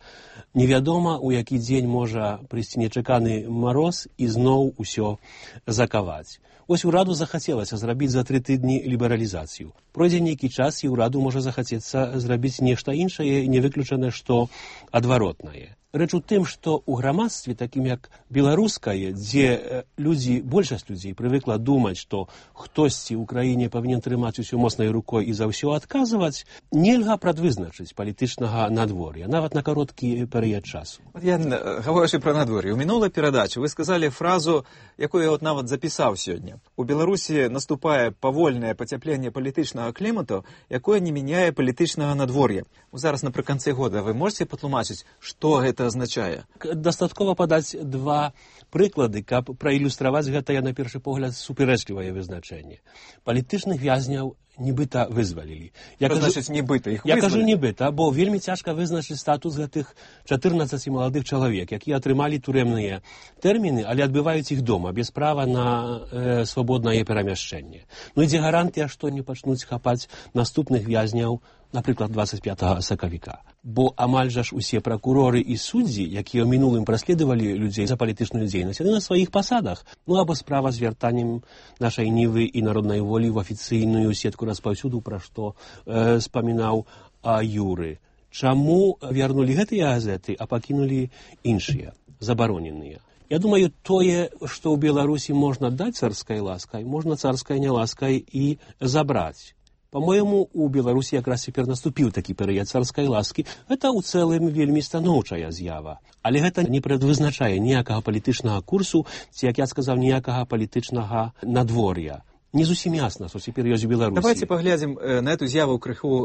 Невядома, у які дзень можа прыйсці нечаканы мароз і зноў усё закаваць. Вось ураду захацелася зрабіць за тры тыдні лібералізацыю. Пройдзе нейкі час, і ураду можа захацецца зрабіць нешта іншае, не выключана, што адваротнае. Рэч у тым, што ў грамадстве, такім як беларускае, дзе людзі, большасць людзей прывыкла думаць, што хтосьці ў краіне павінен трымаць усё моцнай рукой і за ўсё адказваць, нельга прадвызначыць палітычнага надвор'я, нават на кароткі перыяд часу. Я, гаворачы пра надвор'е, у мінулай перадачы вы сказалі фразу, якую я от нават запісаў сёння. У Беларусі наступае павольнае пацяпленне палітычнага клімату, якое не мяняе палітычнага надвор'я. Зараз напрыканцы года вы можете патлумачыць, што гэта азначае? Дастаткова падаць два прыклады, каб праілюстраваць гэтае, на першы погляд, супярэчлівае вызначэнне. Палітычных вязняў нібыта вызвалілі. Я кажу, значыць, нібыта іх я вызвалілі? кажу нібыта, бо вельмі цяжка вызначыць статус гэтых чатырнаццаці маладых чалавек, якія атрымалі турэмныя тэрміны, але адбываюць іх дома, без права на э, свабоднае перамяшчэнне. Ну і дзе гарантыя, што не пачнуць хапаць наступных вязняў, напрыклад, двадцать пятого сакавіка. Бо амаль жа ж усе пракуроры і суддзі, якія ў мінулым праследавалі людзей за палітычную дзейнасць, яны на сваіх пасадах. Ну або справа з вяртаннем нашай Нівы і народнай волі ў афіцыйную сетку распаўсюду, пра што э, спамінаў а, Юры. Чаму вярнулі гэтыя газеты, а пакінулі іншыя, забароненыя? Я думаю, тое, што ў Беларусі можна даць царскай ласкай, можна царскай няласкай і забраць. По-моему, у Беларусі якраз цяпер наступіў такі перыяд царскай ласкі. Гэта ў цэлым вельмі станоўчая з'ява. Але гэта не прадвызначае ніякага палітычнага курсу, ці, як я сказаў, ніякага палітычнага надвор'я. Не зусім ясна, што цяпер ёсць у Беларусі. Давайте паглядзім на эту з'яву крыху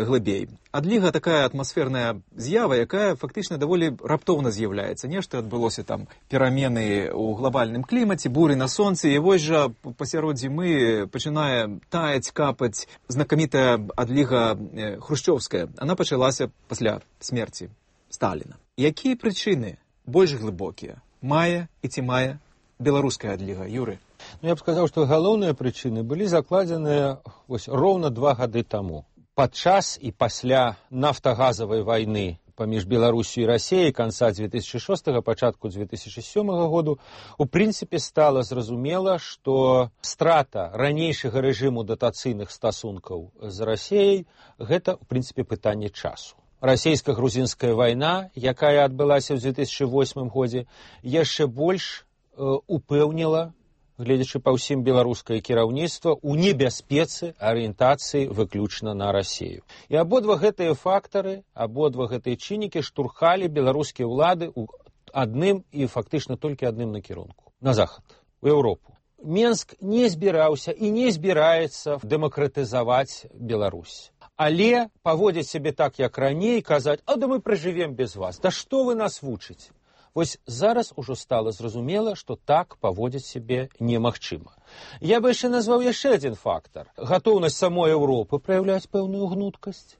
глыбей. Адліга такая атмасферная з'ява, якая фактычна даволі раптоўна з'яўляецца. Нешта адбылося там перамены ў глобальным клімаце, буры на сонцы, і вось жа пасярод зімы пачынае таяць, капаць знакамітая адліга хрушчоўская. Она пачалася пасля смерці Сталіна. Якія прычыны больш глыбокія мае і ці мае беларуская адліга, Юры? Ну, я б сказаў, што галоўныя прычыны былі закладзеныя вось роўна два гады таму. Падчас і пасля нафтагазавай вайны паміж Беларусю і Расіяй канца дзве тысячы шостага, пачатку дзве тысячы сёмага году, у прынцыпе стала зразумела, што страта ранейшага рэжыму датацыйных стасункаў з Расіяй – гэта, у прынцыпе, пытанне часу. Расійска-грузінская вайна, якая адбылася ў дзве тысячы восьмым годзе, яшчэ больш э, упэўніла, гледзячы па ўсім беларускае кіраўніцтва, у небяспецы арыентацыі выключна на Расію. І абодва гэтыя фактары, абодва гэтыя чыннікі штурхалі беларускія ўлады ў адным і фактычна толькі адным накірунку – на захад, у Еўропу. Менск не збіраўся і не збіраецца дэмакратызаваць Беларусь. Але паводзіць сябе так, як раней, казаць, а да мы пражывем без вас, да што вы нас вучыце? Вось зараз ужо стала зразумела, што так паводзіць сябе немагчыма. Я бы яшчэ назваў яшчэ адзін фактар. Гатоўнасць самой Еўропы праяўляць пэўную гнуткасць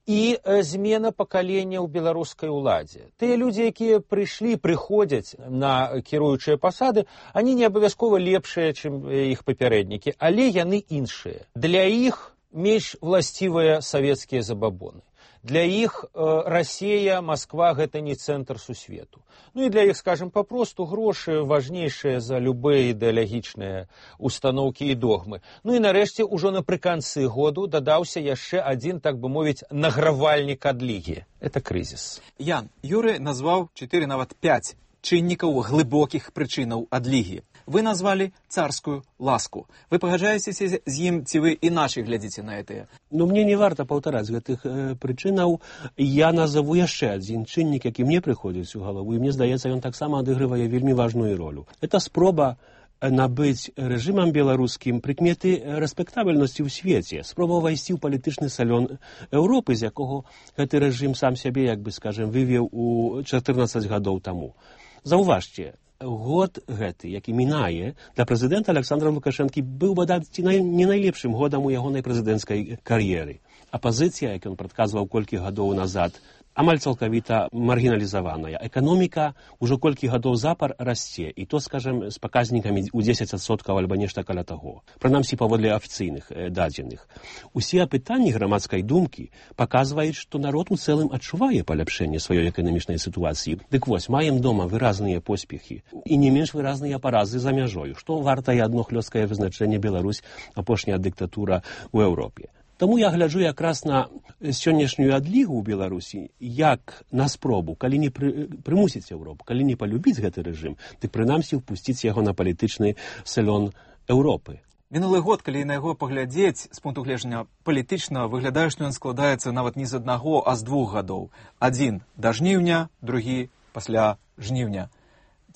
і змена пакалення ў беларускай уладзе. Тыя людзі, якія прыйшлі, прыходзяць на кіруючыя пасады, они не абавязкова лепшыя, чым іх папярэднікі, але яны іншыя. Для іх менш власцівыя савецкія забабоны. Для іх э, Расія, Масква – гэта не цэнтр сусвету. Ну і для іх, скажем, папросту грошы важнейшыя за любыя ідэалагічныя установкі і догмы. Ну і нарэшце, ужо напрыканцы году дадаўся яшчэ адзін, так бы мовіць, награвальнік адлігі. Это крызіс. Ян, Юры назваў чатыры, нават пяць чыннікаў глыбокіх прычынаў адлігі. Вы назвалі царскую ласку. Вы пагаджаецеся з ім, ці вы іначай глядзіце на гэтыя? Ну, мне не варта паўтараць гэтых э, прычынаў. Я назову яшчэ адзін чыннік, які мне прыходзіць у галаву, і мне здаецца, ён таксама адыгрывае вельмі важную ролю. Это спроба набыць рэжымам беларускім прыкметы рэспектабельнасці ў свеце, спроба ўвайсці ў палітычны салён Еўропы, з якога гэты рэжым сам сябе, як бы скажем, вывеў у чатырнаццаць гадоў таму. Заўважце, год гэты, які мінае, для прэзідэнта Александра Лукашэнкі быў бадаць не найлепшым годам у ягонай прэзідэнцкай кар'еры. Апазіцыя, як ён прадказваў колькі гадоў назад, амаль цалкавіта маргіналізаваная. Эканоміка ўжо колькі гадоў запар расце, і то, скажем, з паказнікамі ў дзесяць адсоткаў альбо нешта каля таго. Прынамсі, паводле афіцыйных э, дадзеных. Усе апытанні грамадскай думкі паказваюць, што народ у цэлым адчувае паляпшэнне сваёй эканамічнай сітуацыі. Дык вось, маем дома выразныя поспехі і не менш выразныя паразы за мяжою, што вартае адно хлёсткае вызначэнне Беларусь, апошняя дыктатура ў Еўропе. Таму я гляджу якраз на сённяшнюю адлігу ў Беларусі як на спробу, калі не пры, прымусіць Еўропу, калі не палюбіць гэты рэжым, дык прынамсі впусціць яго на палітычны салён Еўропы. Мінулы год, калі на яго паглядзець з пункту гледжання палітычна, выглядае, што ён складаецца нават не з аднаго, а з двух гадоў. Адзін да жніўня, другі пасля жніўня.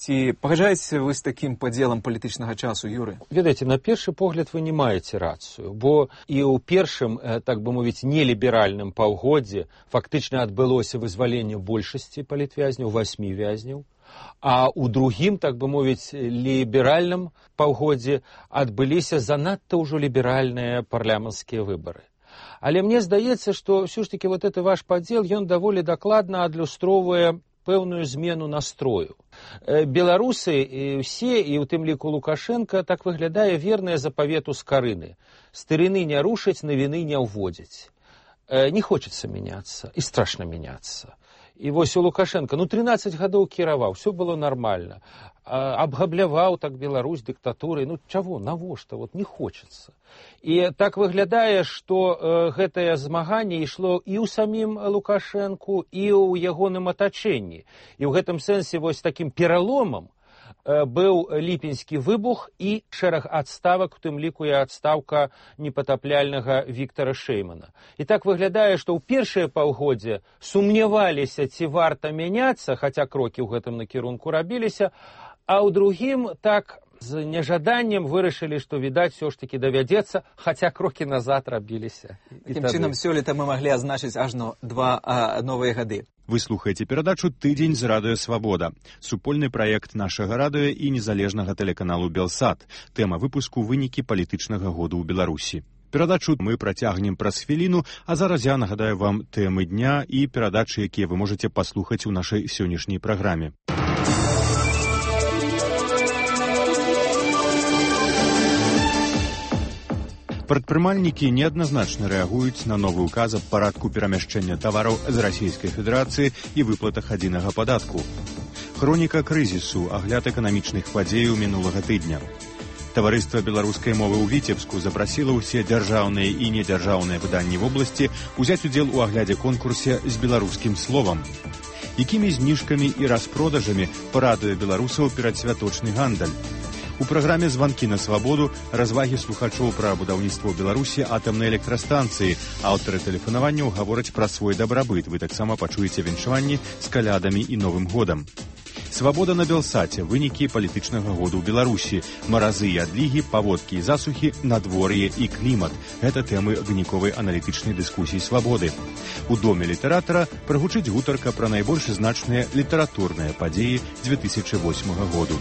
Ці пагаджаецеся вы з такім падзелам палітычнага часу, Юры? Ведаеце, на першы погляд вы не маеце рацыю, бо і ў першым, так бы мовіць, неліберальным паўгоддзі фактычна адбылося вызваленне большасці палітвязняў, васьмі вязняў, а ў другім, так бы мовіць, ліберальным паўгоддзі адбыліся занадта ўжо ліберальныя парламенцкія выбары. Але мне здаецца, што ўсё ж такі вот гэты ваш падзел, ён даволі дакладна адлюстроўвае пэўную змену настрою. Беларусы ўсе, і ў тым ліку Лукашенко, так выглядае вернае запавету Скарыны. Старыны не рушаць, навіны не ўводзяць. Не хочацца мяняцца, і страшна мяняцца. І вось у Лукашенко, ну, трынаццаць гадоў кіраваў, все было нормально. Абгабляваў так Беларусь дыктатурай, ну, чаго, навошта, вот не хочацца. І так выглядае, што э, гэтае змаганне ішло і ў самім Лукашэнку, і ў ягоным атачэнні. І ў гэтым сэнсе вось такім пераломам э, быў ліпеньскі выбух і шэраг адставак, у тым ліку і адстаўка непатапляльнага Віктара Шэймана. І так выглядае, што ў першае паўгоддзе сумняваліся, ці варта мяняцца, хаця крокі ў гэтым накірунку рабіліся, а ў другім так з нежаданнем вырашылі, што, відаць, все ж таки давядзецца, хаця крокі назад рабіліся. Такім чынам, сёлета мы маглі азначыць ажно два а, новыя гады. Вы слухаеце перадачу «Тыдзень з радыё Свабода». Супольны праект нашага радыё і незалежнага тэлеканалу «Белсат». Тэма выпуску «Вынікі палітычнага году ў Беларусі». Перадачу мы працягнем праз хвіліну, а зараз я нагадаю вам тэмы дня і перадачы, якія вы можаце паслухаць у нашай сённяшняй праграме. Прадпрымальнікі неадназначна рэагуюць на новы ўказ аб парадку перамяшчэння тавараў з Расійскай Федэрацыі і выплатах адзінага падатку. Хроніка крызісу, агляд эканамічных падзеяў минулага тыдня. Таварыства беларускай мовы ў Віцебску запрасіла ўсе дзяржаўныя і недзяржаўныя выданні вобласці узяць удзел у аглядзе конкурсе з беларускім словам. Якімі зніжкамі і распродажамі парадуе беларусаў перадсвяточны гандаль? У праграме «Званкі на свабоду» развагі слухачоў пра будаўніцтва ў Беларусі атамнай электрастанцыі. Аўтары тэлефанаванняў гавораць пра свой дабрабыт. Вы таксама пачуеце віншаванні з калядамі і Новым годам. Свабода на Белсаце. Вынікі палітычнага году ў Беларусі. Маразы і адлігі, паводкі і засухі, надвор'е і клімат. Гэта тэмы выніковай аналітычнай дыскусіі свабоды. У доме літаратара прагучыць гутарка пра найбольш значныя літаратурныя падзеі дзве тысячы восьмага году.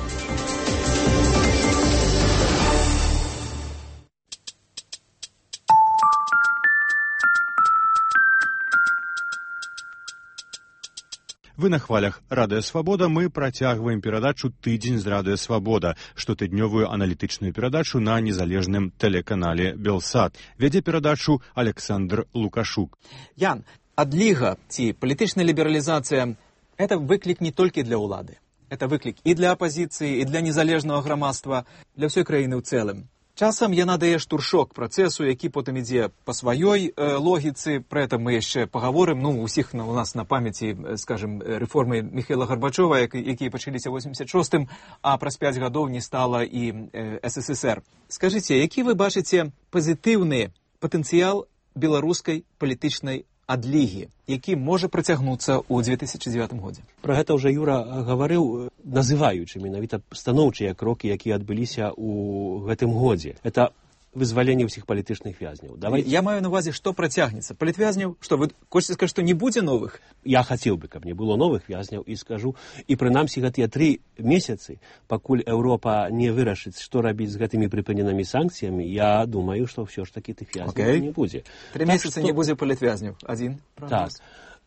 Вы на хвалях «Радыё Свабода». Мы працягваем перадачу «Тыдзень з Радыё Свабода», штотыднёвую аналітычную перадачу на незалежным тэлеканале «Белсат». Вядзе перадачу Александр Лукашук. Ян, адліга ці палітычная лібералізацыя – это выклік не толькі для ўлады. Это выклік і для апазіцыі, і для незалежнага грамадства, для ўсёй краіны ў цэлым. Часам яна дае штуршок працэсу, які потым ідзе па сваёй э, логіцы. Пра гэта мы яшчэ пагаворым. Ну, усіх на, у нас на памяці, скажем, рэформы Міхаіла Гарбачова, як, якія пачаліся ў восемьдесят шостым, а праз пяць гадоў не стала і э, эс эс эс эр. Скажыце, які вы бачыце пазітыўны патэнцыял беларускай палітычнай адлігі, які можа працягнуцца ў дзве тысячы дзевятым годзе? Пра гэта ўжо Юра гаварыў, называючы менавіта станоўчыя крокі, якія адбыліся ў гэтым годзе. Это вызваленне ўсіх палітычных вязняў. Давай... Я маю на увазе, што працягнецца. Палітвязняў, што вы хочаце сказаць, што не будзе новых? Я хацеў бы, каб не было новых вязняў, і скажу, і прынамсі гэтыя тры месяцы, пакуль Еўропа не вырашыць, што рабіць з гэтымі прыпыненымі санкцыямі, я думаю, што ўсё ж такі тых вязняў okay. не будзе. Тры так, месяцы што... не будзе палітвязняў. Адзін Так. прагноз.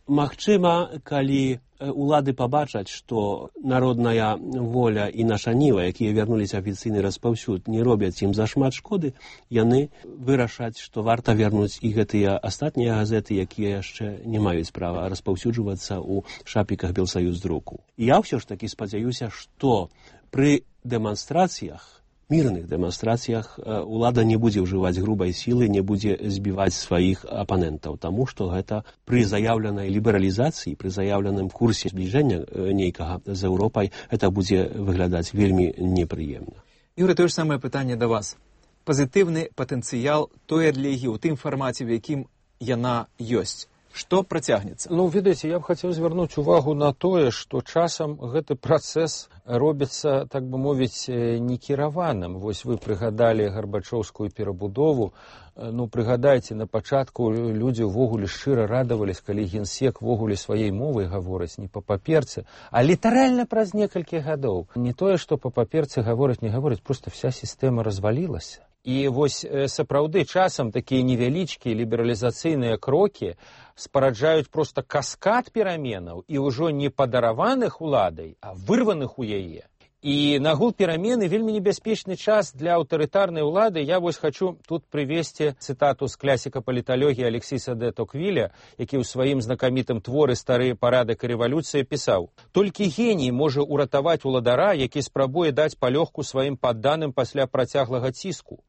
Магчыма, калі улады пабачаць, што народная воля і наша ніва, якія вярнуліся афіцыйны распаўсюд, не робяць ім зашмат шкоды, яны вырашаць, што варта вярнуць і гэтыя астатнія газеты, якія яшчэ не маюць права распаўсюджвацца ў шапіках Белсаюздруку. Я ўсё ж такі спадзяюся, што пры дэманстрацыях, мірных дэманстрацыях улада не будзе ўжываць грубай сілы, не будзе збіваць сваіх апанентаў, таму што гэта пры заяўленай лібералізацыі, пры заяўленым курсе збліжэння нейкага з Еўропай, это будзе выглядаць вельмі непрыемна. Юры, тое ж самае пытанне да вас. Пазітыўны патэнцыял той адлігі ў тым фармаце, в якім яна ёсць. Што працягнецца? Ну, ведаеце, я б хацеў звярнуць увагу на тое, што часам гэты працэс робіцца, так бы мовіць, некіраваным. Вось вы прыгадалі гарбачоўскую перабудову. Ну, прыгадайце, на пачатку людзі ўвогуле шчыра радавались, калі генсек ввогуле сваёй мовай гаворыць не па паперцы, а літаральна праз некалькі гадоў. Не тое, што па паперцы гаворыць, не гаворыць, проста вся сістэма развалілася. І вось сапраўды часам такія невялічкія лібералізацыйныя крокі спараджаюць проста каскад пераменаў і ўжо не падараваных уладай, а вырваных у яе. І нагул перамены вельмі небяспечны час для аўтарытарнай улады. Я вось хачу тут прывесці цытату з класіка паліталогіі Алексіса де Токвіля, які ў сваім знакамітым творы «Стары парадак і рэвалюцыя» пісаў: «Толькі геній можа ўратаваць уладара, які спрабуе даць палёгку сваім падданым пасля працяглага ціску.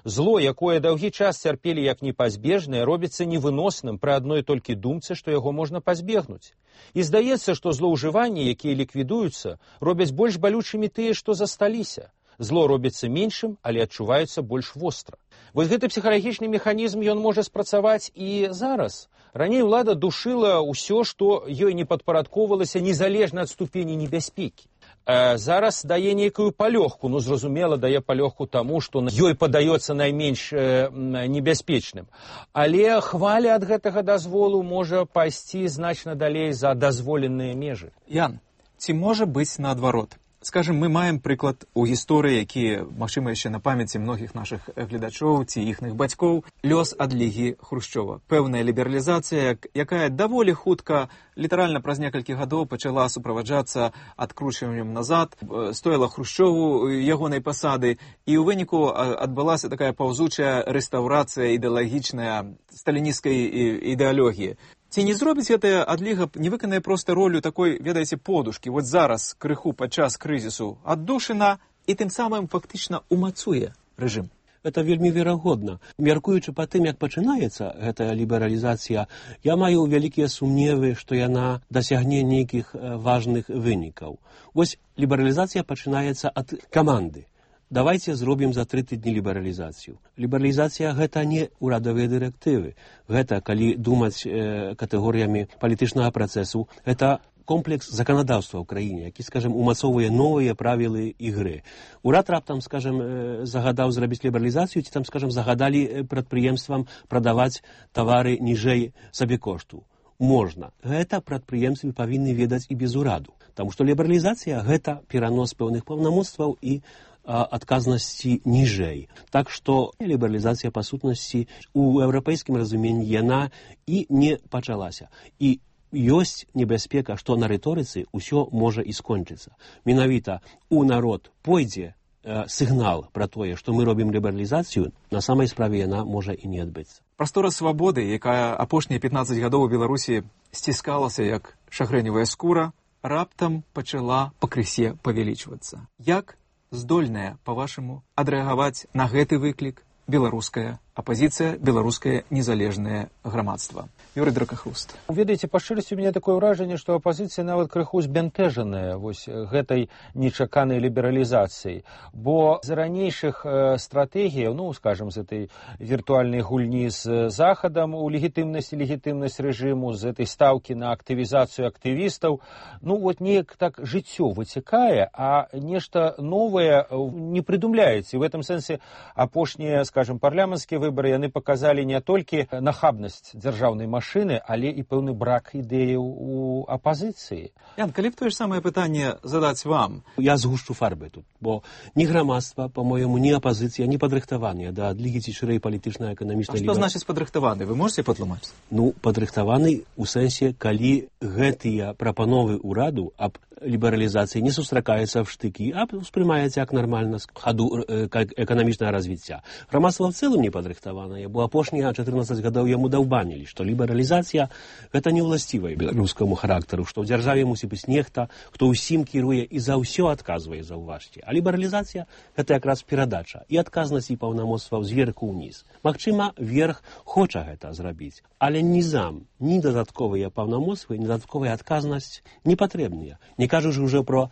Зло, якое доўгі час цярпелі як непазбежнае, робіцца невыносным пры адной толькі думцы, што яго можна пазбегнуць. І здаецца, што злоўжыванні, якія ліквідуюцца, робяць больш балючымі тыя, што засталіся. Зло робіцца меншым, але адчуваецца больш востра. Вось гэты псіхалагічны механізм ён можа спрацаваць і зараз. Раней улада душыла ўсё, што ёй не падпарадкоўвалася незалежна ад ступені небяспекі. Зараз дае нейкую палёгку, ну, зразумела, дае палёгку таму, што ёй падаецца найменш э, небяспечным. Але хваля ад гэтага дазволу можа пайсці значна далей за дазволеныя межы. Ян, ці можа быць наадварот? Скажем, мы маем прыклад у гісторыі, які, магчыма, яшчэ на памяці многіх нашых гледачоў ці іхных бацькоў, лёс адлігі Хрушчова. Пэўная лібералізацыя, якая даволі хутка, літаральна праз некалькі гадоў пачала суправаджацца адкручваннем назад, стоіла Хрушчову ягонай пасады, і ў выніку адбылася такая паўзучая рэстаўрацыя ідэалагічная сталінісцкай ідэалогіі. Ці не зробіць гэтая адліга, не выканае проста ролю такой, ведаеце, подушкі. Вот зараз крыху падчас крызісу аддушына і тым самым фактычна умацуе рэжым. Это вельмі верагодна. Мяркуючы па тым, як пачынаецца гэтая лібералізацыя, я маю вялікія сумневы, што яна дасягне нейкіх важных вынікаў. Вось лібералізацыя пачынаецца ад каманды. Давайте зробім за тры тыдні лібералізацыю. Лібералізацыя гэта не ўрадавыя дырэктывы. Гэта, калі думаць э, катэгорыямі палітычнага працэсу, гэта комплекс заканадаўства ў краіне, які, скажем, умацоўвае новыя правілы ігры. Урад раптам, скажем, э, загадаў зрабіць лібералізацыю, ці там, скажем, загадалі прадпрыемствам прадаваць тавары ніжэй сабекошту. Можна. Гэта прадпрыемствы павінны ведаць і без ураду. Таму што лібералізацыя гэта перанос пэўных паўнамоцтваў і адказнасці ніжэй. Так што лібералізацыя па сутнасці у еўрапейскім разуменні яна і не пачалася. І ёсць небяспека, што на рыторыцы ўсё можа і скончыцца. Менавіта у народ пойдзе э, сігнал пра тое, што мы робім лібералізацыю, на самай справе яна можа і не адбыцца. Прастора свабоды, якая апошнія пятнаццаць гадоў у Беларусі сціскалася як шагрэневая скура, раптам пачала пакрысе павялічвацца. Як здольная, па-вашаму, адрэагаваць на гэты выклік беларуская апазіцыя, беларускае незалежнае грамадства? Юрый Дракахруст. Ведаеце, па шчырасці, у мяне такое ўражанне, што апазіцыя нават крыху збянтэжаная вось гэтай нечаканай лібералізацыяй. Бо з ранейшых э, стратэгіяў, ну, скажем, з этой віртуальнай гульні з Захадам у легітымнасць і легітымнасць рэжыму, з этой стаўкі на актывізацыю актывістаў, ну, вот неяк так жыццё выцякае, а нешта новае не прыдумляецца. І в этом сэнсе апошнія, скажем, парламенцкія выборы, яны показалі не толькі нахабнасць дзяржаўнай машыны, але і пэўны брак ідэяў у апазіцыі. Ян, калі б тое ж самае пытанне задаць вам? Я згушчу фарбы тут, бо ні грамадства, па-моему, ні апазіцыя не падрыхтаваныя да адлігі ці шырэй палітычнай эканамічнай. А што значыць падрыхтаваны? Вы можете патлумачыць? Ну, падрыхтаваны ў сэнсе, калі гэтыя прапановы ўраду аб лібералізацыі не сустракаецца в штыкі, а успрымаецца як нармальна з хаду эканамічнага развіцця. Грамадства в цэлым не падрыхтаванае, бо апошнія чатырнаццаць гадоў яму даўбанілі, што лібералізацыя гэта не ўласцівая беларускаму характару, што ў дзяржаве мусіць быць нехта, хто ўсім кіруе і за ўсё адказвае, заўважце. А лібералізацыя гэта якраз перадача і адказнасць і паўнамоцтваў зверху ўніз. Магчыма, верх хоча гэта зрабіць, але нізам, ні дадатковыя паўнамоцтвы, ні дадатковая адказнасць не патрэбныя. Не кажучы ўжо про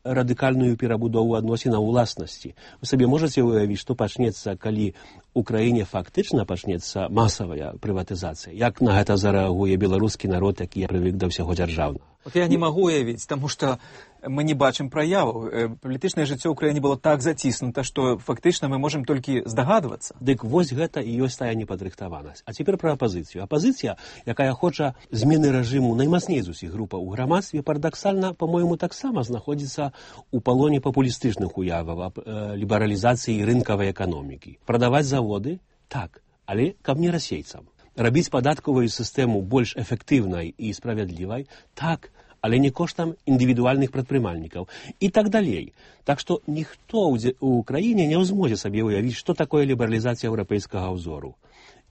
радыкальную перабудову адносінаў уласнасці. Вы сабе можаце уявіць, што пачнецца, калі ў краіне фактычна пачнецца масавая прыватызацыя? Як на гэта зарэагуе беларускі народ, які прывык да ўсяго дзяржаўнага? Вот я не магу уявіць, таму што мы не бачым праяву. Палітычнае жыццё ў краіне было так заціснута, што фактычна мы можам толькі здагадвацца. Дык вось гэта і ёсць тая непадрыхтаванасць. А цяпер пра апазіцыю. Апазіцыя, якая хоча змены рэжыму наймацней з усіх групаў у грамадстве, парадаксальна, па-мойму, таксама знаходзіцца у палоне папулістычных уяваў аб э, лібералізацыі рынкавай эканомікі. Прадаваць заводы? Так, але каб не расейцам. Рабіць падаткавую сістэму больш эфектыўнай і справядлівай? Так, але не коштам індывідуальных прадпрымальнікаў і так далей. Так што ніхто ў краіне не зможа сабе ўявіць, што такое лібералізацыя еўрапейскага ўзору.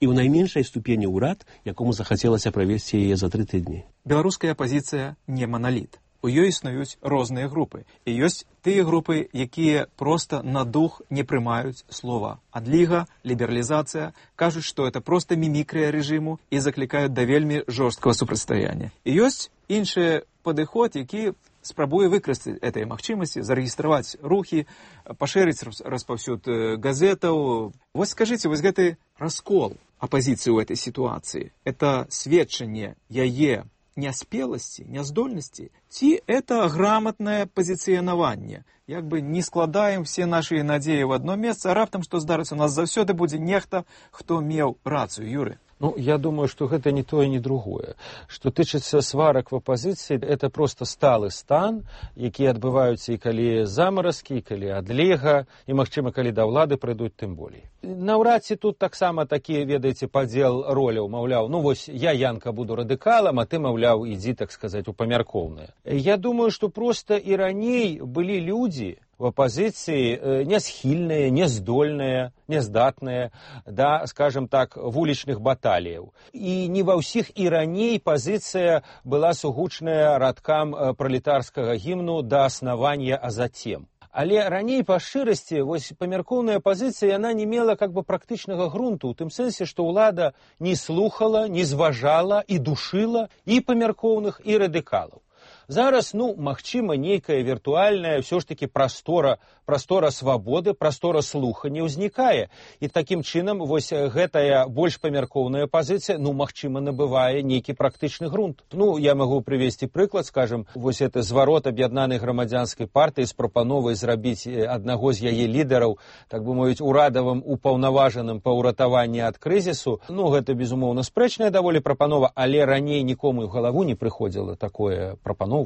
І ў найменшай ступені ўрад, якому захацелася правесці яе за тры тыдні. Беларуская апазіцыя не маналіт. У ёй існуюць розныя групы. І ёсць тыя групы, якія проста на дух не прымаюць слова адліга, лібералізацыя, кажуць, што это проста мімікрыя рэжыму і заклікаюць да вельмі жорсткага супрацьстаяння. І ёсць іншы падыход, які спрабуе выкарыстаць этой магчымасці, зарэгістраваць рухі, пашырыць распаўсюд газетаў. Вось скажыце, вось гэты раскол апазіцыі ў этой сітуацыі, это сведчанне яе няспеласці, няздольнасці, ці это грамотнае пазіцыянаванне? Як бы не складаем все наши надзеі в одно месца, а раптам што здарыцца, у нас заўсёды будзе нехта, хто меў рацыю, Юры. Ну, я думаю, что гэта не то и не другое. Что тычыцца сварак в апозіцыі, это просто сталы стан, які адбываюцца і калі замаразкі, і калі адлега, і, магчыма, калі да ўлады прыйдуць, тым болей. Наўрад ці тут таксама такі, ведаеце, падзел роляў, маўляў, ну вось я, Янка, буду радыкалам, а ты, маўляў, ідзі, так сказаць, у памяркоўнае. Я думаю, что просто і раней былі людзі, в оппозиции несхильные, нездольные, нездатные, да, скажем так, вулічных баталіяў. І не ва ўсіх і раней пазіцыя была сугучная радкам пралетарскага гімну да аснавання, а затем. Але раней па шчырасці вось памяркоўная пазіцыя яна не мела как бы практычнага грунту, у тым сэнсе, што ўлада не слухала, не зважала і душыла і памяркоўных, і радыкалаў. Зараз, ну, магчыма, нейкая віртуальная ўсё ж такі прастора, прастора свабоды, прастора слухання ўзнікае. І такім чынам вось гэтая больш памяркоўная пазіцыя, ну, магчыма, набывае нейкі практычны грунт. Ну, я магу прывесці прыклад, скажем, вось это зварот аб'яднанай грамадзянскай партыі з прапановай зрабіць аднаго з яе лідараў, так бы мовіць, урадавым упаўнаважаным па ўратаванні ад крызісу. Ну, гэта, безумоўна, спрэчная даволі прапанова, але раней нікому ў галаву не прыходзіла такое прапановаць.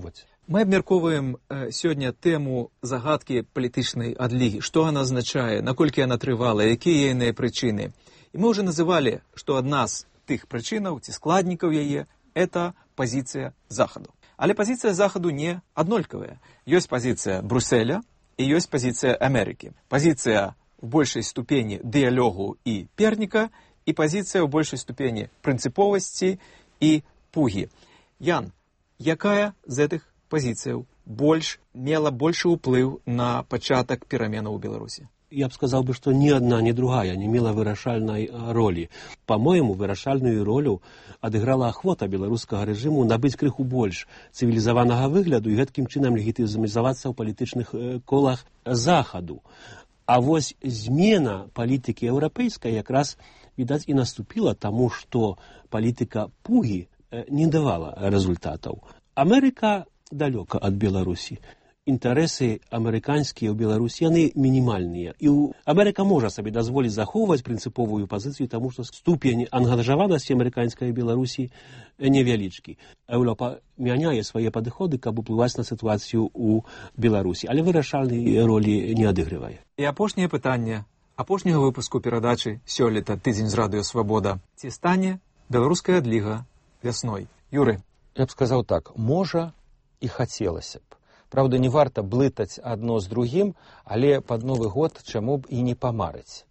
Мы абмяркоўваем э, сёння тэму загадкі палітычнай адлігі. Што яна азначае, наколькі яна трывала, якія яе прычыны. І мы ўжо называлі, што адна з тых прычынаў ці складнікаў яе – это пазіцыя Захаду. Але пазіцыя Захаду не аднолькавая. Ёсць пазіцыя Брюсселя і ёсць пазіцыя Амерыкі. Пазіцыя в большай ступені дыялогу і перніка і пазіцыя ў большай ступені прынцыповасці і пугі. Ян, якая з гэтых пазіцыяў больш мела большы ўплыў на пачатак пераменаў у Беларусі? Я б сказал бы, что ни одна, ни другая не мела вырашальной роли. По-моему, вырашальную роль адыграла ахвота беларускага рэжыму набыць крыху больш цывілізаванага выгляду і гэткім чынам легітымізавацца ў палітычных колах Захаду. А вось змена палітыкі еўрапейскай якраз, відаць, і наступіла таму, што палітыка пугі не давала результатаў. Амерыка далёка ад Беларусі. Інтарэсы амерыканскія ў Беларусі, яны мінімальныя. І Амерыка можа сабе дазволіць захоўваць прынцыповую пазіцыю, таму што ступень ангажаванасці амерыканскай Беларусі невялічкі. Еўропа мяняе свае падыходы, каб уплываць на сітуацыю ў Беларусі, але вырашальнай ролі не адыгрывае. І апошняе пытанне апошняга выпуску перадачы сёлета «Тыдзень з радыё Свабода». Ці стане беларуская адліга вясной? Юры. Я б сказаў так, можа і хацелася б. Правда, не варта блытаць адно з другім, але пад Новы год чаму б і не памарыць.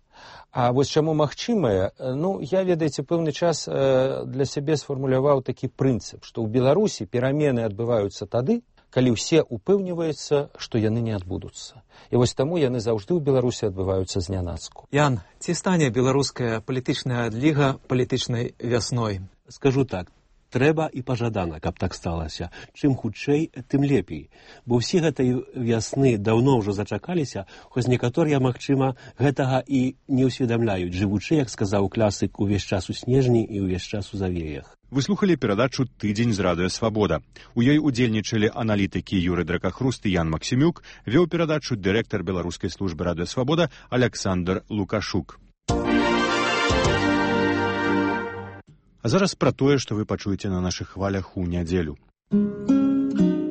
А вось чаму магчымае, ну, я, ведаеце, пэўны час для сябе сфармуляваў такі прынцып, што ў Беларусі перамены адбываюцца тады, калі ўсе упэўніваюцца, што яны не адбудуцца. І вось таму яны заўжды ў Беларусі адбываюцца знянацку. Ян, ці стане беларуская палітычная адліга палітычнай вясной? Скажу так. Трэба і пажадана, каб так сталася. Чым хутчэй, тым лепей. Бо ўсе гэтай вясны даўно ўжо зачакаліся, хоць некаторыя, магчыма, гэтага і не ўсведамляюць, жывучы, як сказаў класык, увесь час у снежні і ўвесь час у завеях. Вы слухалі перадачу «Тыдзень з радыё Свабода». У ёй удзельнічалі аналітыкі Юры Дракахруст і Ян Максімюк, вёў перадачу дырэктар беларускай службы радыё Свабода Аляксандр Лукашук. А зараз пра тое, што вы пачуеце на нашых хвалях у нядзелю.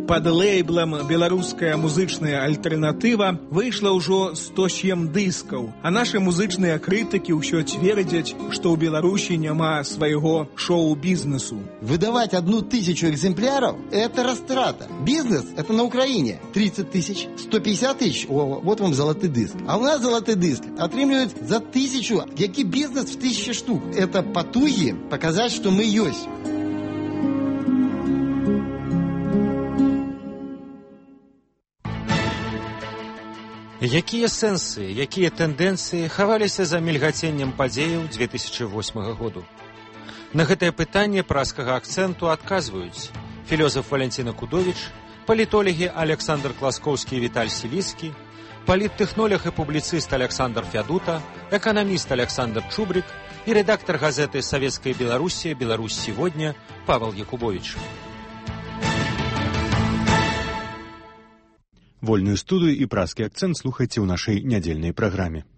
Пад лейблам «Беларуская музычная альтэрнатыва» выйшла ўжо сто сем дыскаў, а нашы музычныя крытыкі ўсё цвердзяць, што ў Беларусі няма свайго шоу-бізнесу. Выдавать одну тысячу экземпляров – это растрата. Бизнес – это на Украине тридцать тысяч, сто пятьдесят тысяч, о, вот вам золотый диск. А у нас золотый диск отрымліваюць за тысячу. Які бизнес в тысячи штук? Это потуги показать, что мы ёсць. Якія сэнсы, якія тэндэнцыі хаваліся за мільгаценнем падзеяў две тысячи восьмага году? На гэтае пытанне праскага акцэнту адказваюць філёзаф Валянціна Кудовіч, палітолагі Александр Класкоўскі і Віталь Сіліцкі, паліттэхнолог і публіцыст Александр Фядута, эканаміст Александр Чубрик і рэдактар газеты «Савецкая Беларусь» «Беларусь сегодня» Павел Якубович. Вольную студыю і праскі акцэнт слухайце ў нашай нядзельнай праграме.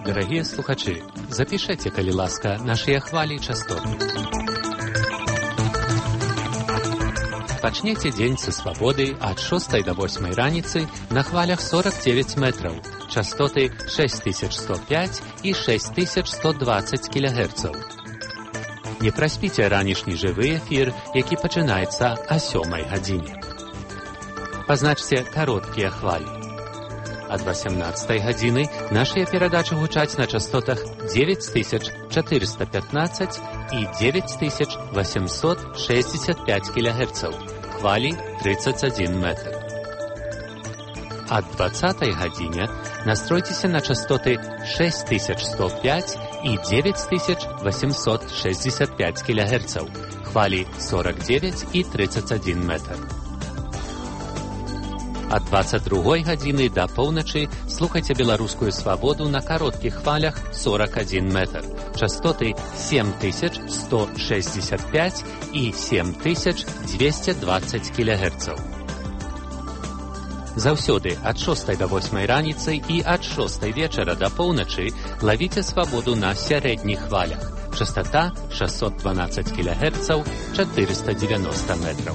Дарагія слухачы, запішэце, калі ласка, нашыя хвалі і частоты. Пачнеце дзень са свабоды ад шостай да восьмай раніцы на хвалях сорок девять метраў, частоты шесть тысяч сто пять і шесть тысяч сто двадцать кілогерцаў. Не праспіце ранішні жывы эфір, які пачынаецца о сёмай гадзіне. Пазначце кароткія хвалі. Ад восемнадцатай гадзіны нашыя перадачы гучаць на частотах девять тысяч четыреста пятнадцать і девять тысяч восемьсот шестьдесят пять кілогерцаў, хвалі тридцать один метр. Ад двадцатай гадзіне настройцеся на частоты шесть тысяч сто пять і девять тысяч восемьсот шестьдесят пять кілогерцаў, хвалі сорок девять і тридцать один метр. Ад двадцать другой гадзіны да поўначы слухайце беларускую свабоду на кароткіх хвалях сорок один метр, частоты семь тысяч сто шестьдесят пять і семь тысяч двести двадцать кілогерцаў. Заўсёды ад шостай да восьмай раніцы і ад шостай вечара да поўначы лавіце свабоду на сярэдніх хвалях, частота шестьсот двенадцать кілогерцаў, четыреста девяносто метров.